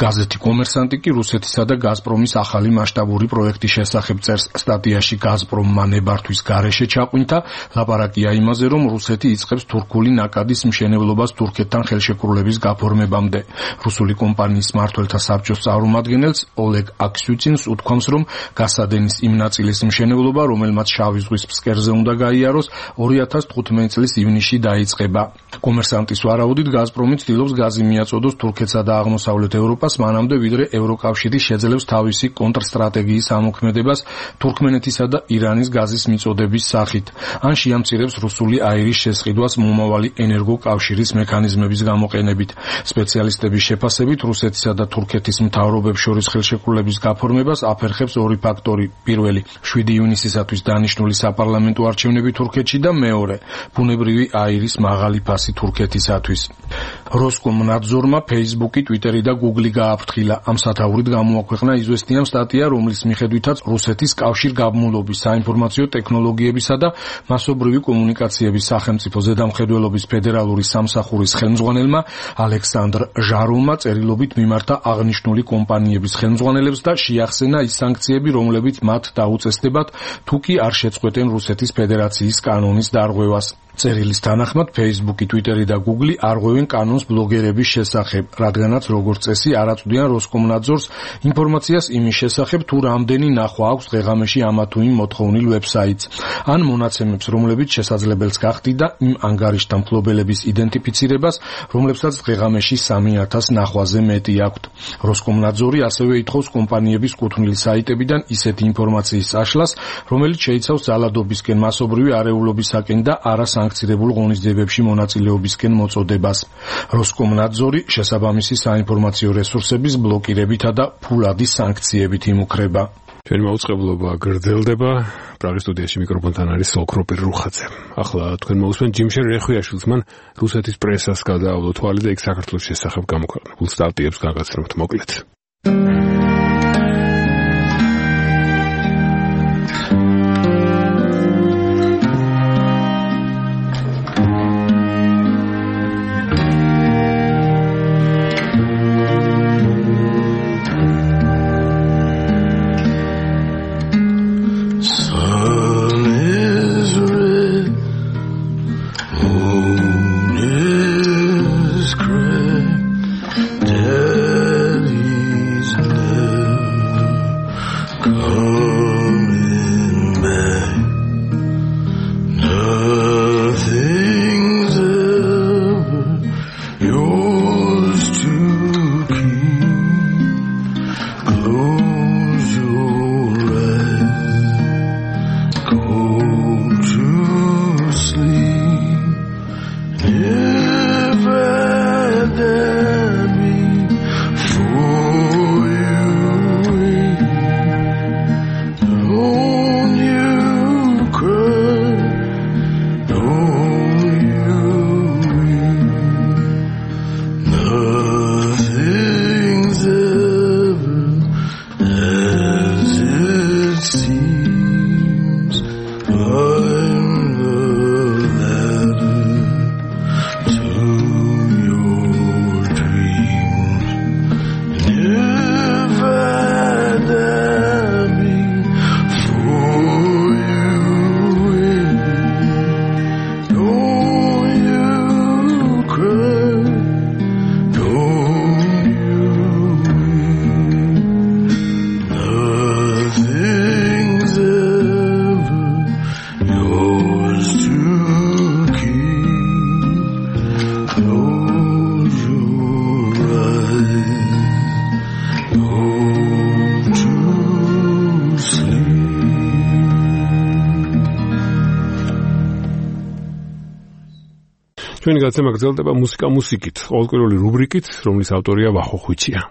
გაზეთი კომერსანტი კი რუსეთისა და გაზპრომის ახალი მასშტაბური პროექტის შესახებ წერს. სტატიაში გაზპრომმა ნებართვის გარეშე ჩაყვინთა, ლაპარაკია იმაზე, რომ რუსეთი იწყებს თურქული ნაკადის მშენებლობას თურქეთთან ხელშეკრულების გაფორმებამდე. რუსული კომპანიის მმართველთა საბჭოს წარმომადგენელს ოლეგ აქსიუცინს უთქვამს, რომ გასადენის იმ ნაწილის მშენებლობა, რომელმაც შავი ზღვის ფსკერზე უნდა გაიაროს, 2015 წლის ივნისში დაიწყება. კომერსანტის ვარაუდით, გაზპრომი ცდილობს გაზი მიაწოდოს თურქეთსა და აღმოსავლეთ ევროპას, მანამდე ვიდრე ევროკავშირი შეძლებს თავისი კონტრსტრატეგიის ამოქმედებას თურქმენეთისა და ირანის გაზის მიწოდების სახით. ან შეამცირებს რუსული აირის შესყიდვას მომავალი ენერგოკავშირის მექანიზმების გამოყენებით. სპეციალისტების შეფასებით, რუსეთისა და თურქეთის მთავრობებს შორის ხელშეკრულების გაფორმებას აფერხებს ორი ფაქტორი. პირველი, 7 ივნისისათვის დანიშნული საპარლამენტო არჩევნები თურქეთში და მეორე, ბუნებრივი აირის მაღალი ფასი თურქეთისათვის. როსკომნადზორმა Facebook-ი, Twitter-ი და Google-ი გააფრთხილა. ამ სათაურით გამოაქვეყნა იზვესტიან სტატია, რომლის მიხედვითაც რუსეთის კავშირგაბმულობის, საინფორმაციო ტექნოლოგიებისა და მასობრივი კომუნიკაციების სახელმწიფო ზედამხედველობის ფედერალური სამსახურის ხელმძღვანელმა ალექსანდრ ჟაროვმა წერილობით მიმართა აღნიშნული კომპანიების ხელმძღვანელებს და შეახსენა ის სანქციები, რომლებიც მათ დაუწესდებათ, თუ კი არ შეწყვეტენ რუსეთის ფედერაციის კანონის დარღვევას. წერილის თანახმად Facebook-ი, Twitter-ი და Google-ი არღვევენ კანონს ბლოგერების შესახებ, რადგანაც როგორც წესი არ აწვდიან როსკომნადზორს ინფორმაციას იმის შესახებ, თუ რამდენი ნახვა აქვს დღეღამეში ამა თუ იმ მოთხოვნილ ვებსაიტს, ან მონაცემებს, რომლებიც შესაძლებელს გახდიდა იმ ანგარიშთა მფლობელების იდენტიფიცირებას, რომლებსაც დღეღამეში 3000 ნახვაზე მეტი აქვთ. როსკომნადზორი ასევე ითხოვს კომპანიების კუთვნილი საიტებიდან ისეთი ინფორმაციის წაშლას, რომელიც შეიცავს ძალადობისკენ, მასობრივი არეულობისაკენ და არასანქცირებულ ღონისძიებებში მონაწილეობისკენ მოწოდებას. როსკომნადზორი შესაბამისი საინფორმაციო რესურსების ბლოკირებითა და ფულადი სანქციებით იმუქრება. ჩვენი მაუწყებლობა გრძელდება. პრაღის სტუდიაში მიკროფონთან არის სოკროპერ რუხაძე. ახლა თქვენ მოусმენთ ჯიმშენ რეხვიაშვილს, მან რუსეთის პრესას გადაავლო თვალი და იქ საქართველოს შესახებ გამოქვეყნებულ სტატიებს გაგაცნობთ მოკლედ. Daddy's name. ჩვენი გაცემა გრძელდება მუსიკით, ყოველკვირეული რუბრიკით, რომლის ავტორია ვახო ხვიჩია.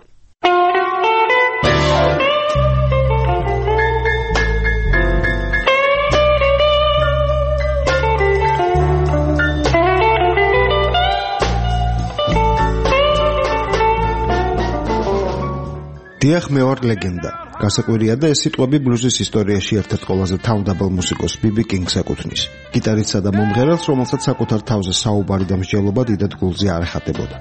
დიახ, მე ვარ ლეგენდა. გასაკვირია და ეს სიტყვები ბლუზის ისტორიაში ერთ-ერთ ყველაზე თავდაბალ მუსიკოს ბიბი კინგს ეკუთვნის. გიტარისტსა და მომღერალს, რომელსაც საკუთარ თავზე საუბარი და მსჯელობა დიდად გულზე არ ეხატებოდა.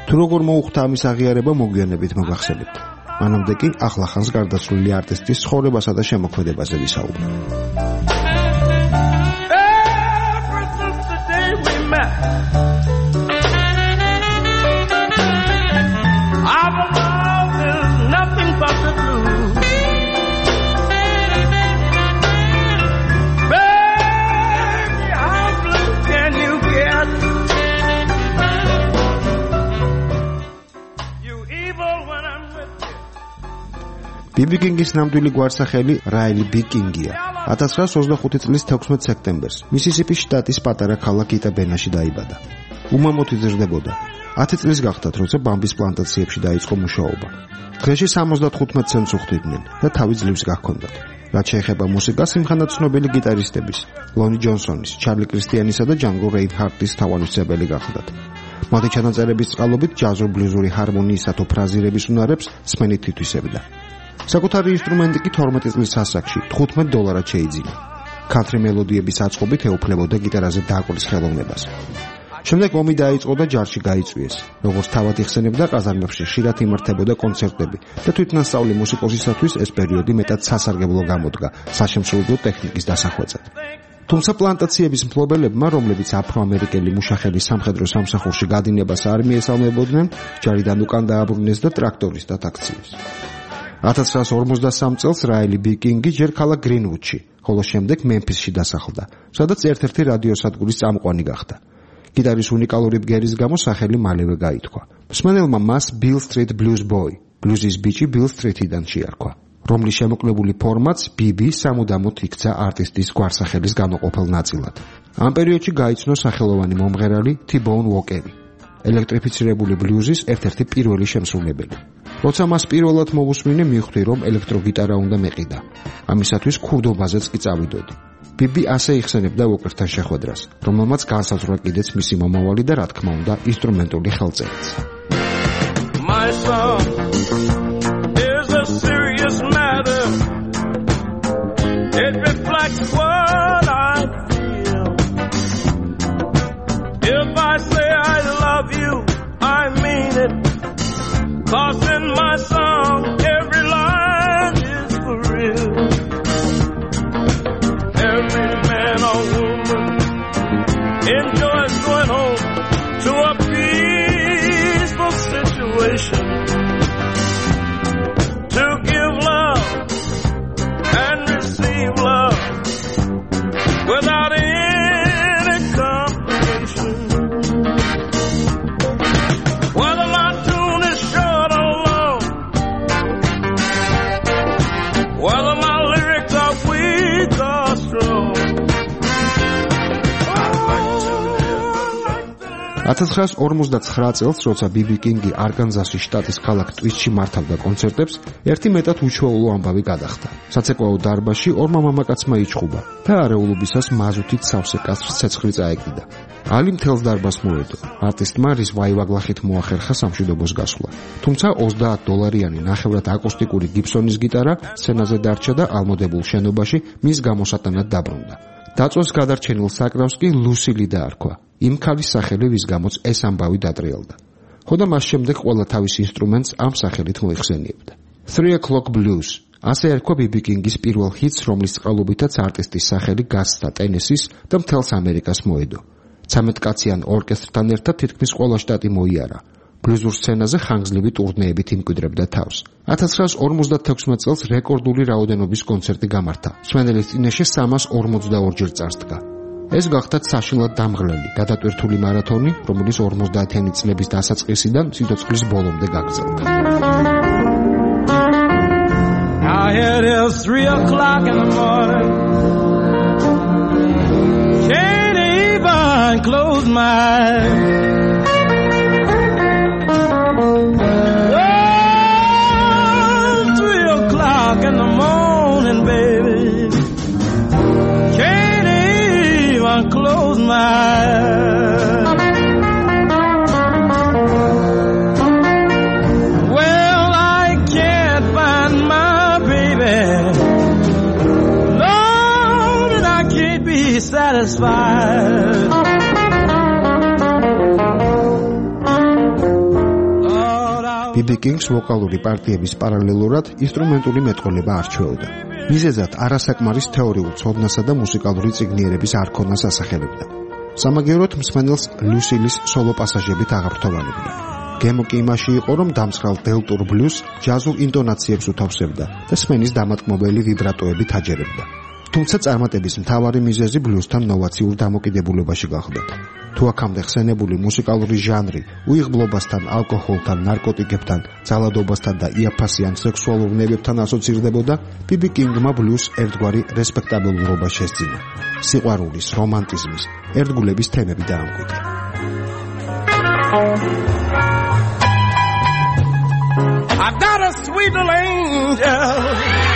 თუ როგორ მოუხდა ამის აღიარება, მოგვიანებით მოგახსენებთ. მანამდე კი ახლახანს გარდაცვლილი არტისტის ცხოვრებასა და შემოქმედებაზე ვისაუბრებ. ბიბი კინგის ნამდვილი გვარსახელი რაილი ბი კინგია. 1925 წლის 16 სექტემბერს მისისიპის შტატის პატარა ქალაქ იტაბენაში დაიბადა. უმამოდ იზრდებოდა. 10 წლის გახდათ, როცა ბამბის პლანტაციებში დაიწყო მუშაობა. დღეში 75 ცენტს უხდიდნენ და თავი ძლივს გაქონდათ. რაც შეეხება მუსიკას, იმხანად ცნობილი გიტარისტების, ლონი ჯონსონის, ჩარლი კრისტიანისა და ჯანგო რეინჰარტის თავმჯდომარე გახლდათ. მათი ჩანაწერების წყალობით ჯაზურ-ბლუზური ჰარმონიისა თუ ფრაზირების უნარებს სმენით თითვისებდა. საკუთარი ინსტრუმენტი კი 12 წლის ასაკში $15 შეიძინა. ქანთრი მელოდიების აწყობით ეუფლებოდა გიტარაზე დაკვრის ხელოვნებას. შემდეგ ომი დაიწყო და ჯარში გაიწვიეს. როგორც თავად იხსენებდა, ყაზარმებში ხშირად იმართებოდა კონცერტები და თვითნასწავლი მუსიკოსისათვის ეს პერიოდი მეტად სასარგებლო გამოდგა საშემსრულებლო ტექნიკის დასახვეწად. თუმცა პლანტაციების მფლობელებმა, რომლებიც აფრო-ამერიკელი მუშახელის სამხედრო სამსახურში გადინებას არ მიესალმებოდნენ, ჯარიდან უკან დააბრუნეს და ტრაქტორისტად აქციეს. 1953 წელს რაილი ბი კინგი ჯერ ქალაქ გრინვუდში, ხოლო შემდეგ მემფისში დასახლდა, სადაც ერთ-ერთი რადიოსადგურის წამყვანი გახდა. გიტარის უნიკალური ბგერის გამო სახელი მალევე გაითქვა. მსმენელმა მას Bill Street Blues Boy, ბლუზის ბიჭი Bill Street-იდან შეარქვა, რომლის შემოკლებული ფორმაც BB სამუდამოდ იქცა არტისტის გვარსახელის განუყოფელ ნაწილად. ამ პერიოდში გაიცნო სახელოვანი მომღერალი T-Bone Walker, ელექტრიფიცირებული ბლუზის ერთ-ერთი პირველი შემსრულებელი. როცა მას პირველად მოვუსმინე, მივხვდი, რომ ელექტროგიტარა უნდა მეყიდა. ამისათვის ქურდობაზეც კი წავიდოდი. ბიბი ასე იხსენებდა ვოკერთან შეხვედრას, რომელმაც განსაზღვრა კიდეც მისი მომავალი და რა თქმა უნდა ინსტრუმენტული ხელწერაც. My song is a serious matter. It reflects what I feel. If I say I love you, I mean it. 'Cause in my song every line is for real. Every man or woman enjoys going home to a peaceful situation, to give love and receive love without any complication. Whether my tune is short or long, whether my lyrics are weak or strong. 1959 წელს, როცა ბიბი კინგი არკანზასის შტატის ქალაქ ტვისტში მართავდა კონცერტებს, ერთი მეტად უჩვეულო ამბავი გადახდა. საცეკვაო დარბაზში ორმა მამაკაცმა იჩხუბა და არეულობისას მაზუთით სავსე კაცს ცეცხლი წაეკიდა. ალი მთელს დარბაზს მოედო. არტისტმა რის ვაივაგლახით მოახერხა სამშვიდობოს გასვლა. თუმცა $20 ნახევრად აკუსტიკური გიბსონის გიტარა სცენაზე დარჩა და ალმოდებულ შენობაში მის გამოსატანად დაბრუნდა. დაწვეს გადარჩენილ საკრავს კი ლუსილი დაარქვა. იმ ქალის სახელი, ვის გამოც ეს ამბავი დატრიალდა. ხოდა მას შემდეგ ყველა თავის ინსტრუმენტს ამ სახელით მოიხსენიებდა. 3 O'Clock Blues, ასე ერქვა ბიბი კინგის პირველ ჰიტს, რომლის წყალობითაც არტისტის სახელი გასცდა ტენესის და მთელს ამერიკას მოედო. 13 კაციან ორკესტრთან ერთად თითქმის ყველა შტატი მოიარა. ბლუზურ სცენაზე ხანგრძლივი ტურნეებით იმკვიდრებდა თავს. 1956 წელს რეკორდული რაოდენობის კონცერტი გამართა. მსმენელის წინაშე 342 ჯერ წარსდგა. ეს გახდა საშინლად დამღლელი, გადატვირთული მარათონი, რომელიც 50-იანი წლების დასაწყისიდან სიცოცხლის ბოლომდე გაგრძელდა. Now it is 3 o'clock in the morning. Can't even close my eyes. Oh, 3 o'clock in the morning, baby. Can't even close my eyes. Well, I can't find my baby. Lord, and I can't be satisfied. BB Kings ვოკალური პარტიების პარალელურად ინსტრუმენტული მეტყოლება არჩეოდა. მიზეზად არასაკმარის თეორიულ ცოდნასა და მუსიკალური წიგნიერების არ ქონას ასახელებდა. სამაგიეროდ მსმენელს ლუსილის სოლო პასაჟებით აღართოვანებდა. გემო კი იმაში იყო, რომ დამსხალ დელტურ ბლუს ჯაზურ ინტონაციებს უთავსებდა და სმენის დამატკმობელი ვიბრატოებით აჯერებდა. თუმცა წარმატების მთავარი მიზეზი ბლუსთან ნოვაციურ დამოკიდებულებაში გახდა. თუ აქამდე ხსენებული მუსიკალური ჟანრი უიღბლობასთან, ალკოჰოლთან, ნარკოტიკებთან, ძალადობასთან და იაფასიან სექსუალურ ნებებთან ასოცირდებოდა, BB King-მა ბლუს ერთგვარი რესპექტაბელურობა შესძინა. სიყვარულის, რომანტიზმის, ერთგულების თემები დაამკვიდრა. I've got a sweet little angel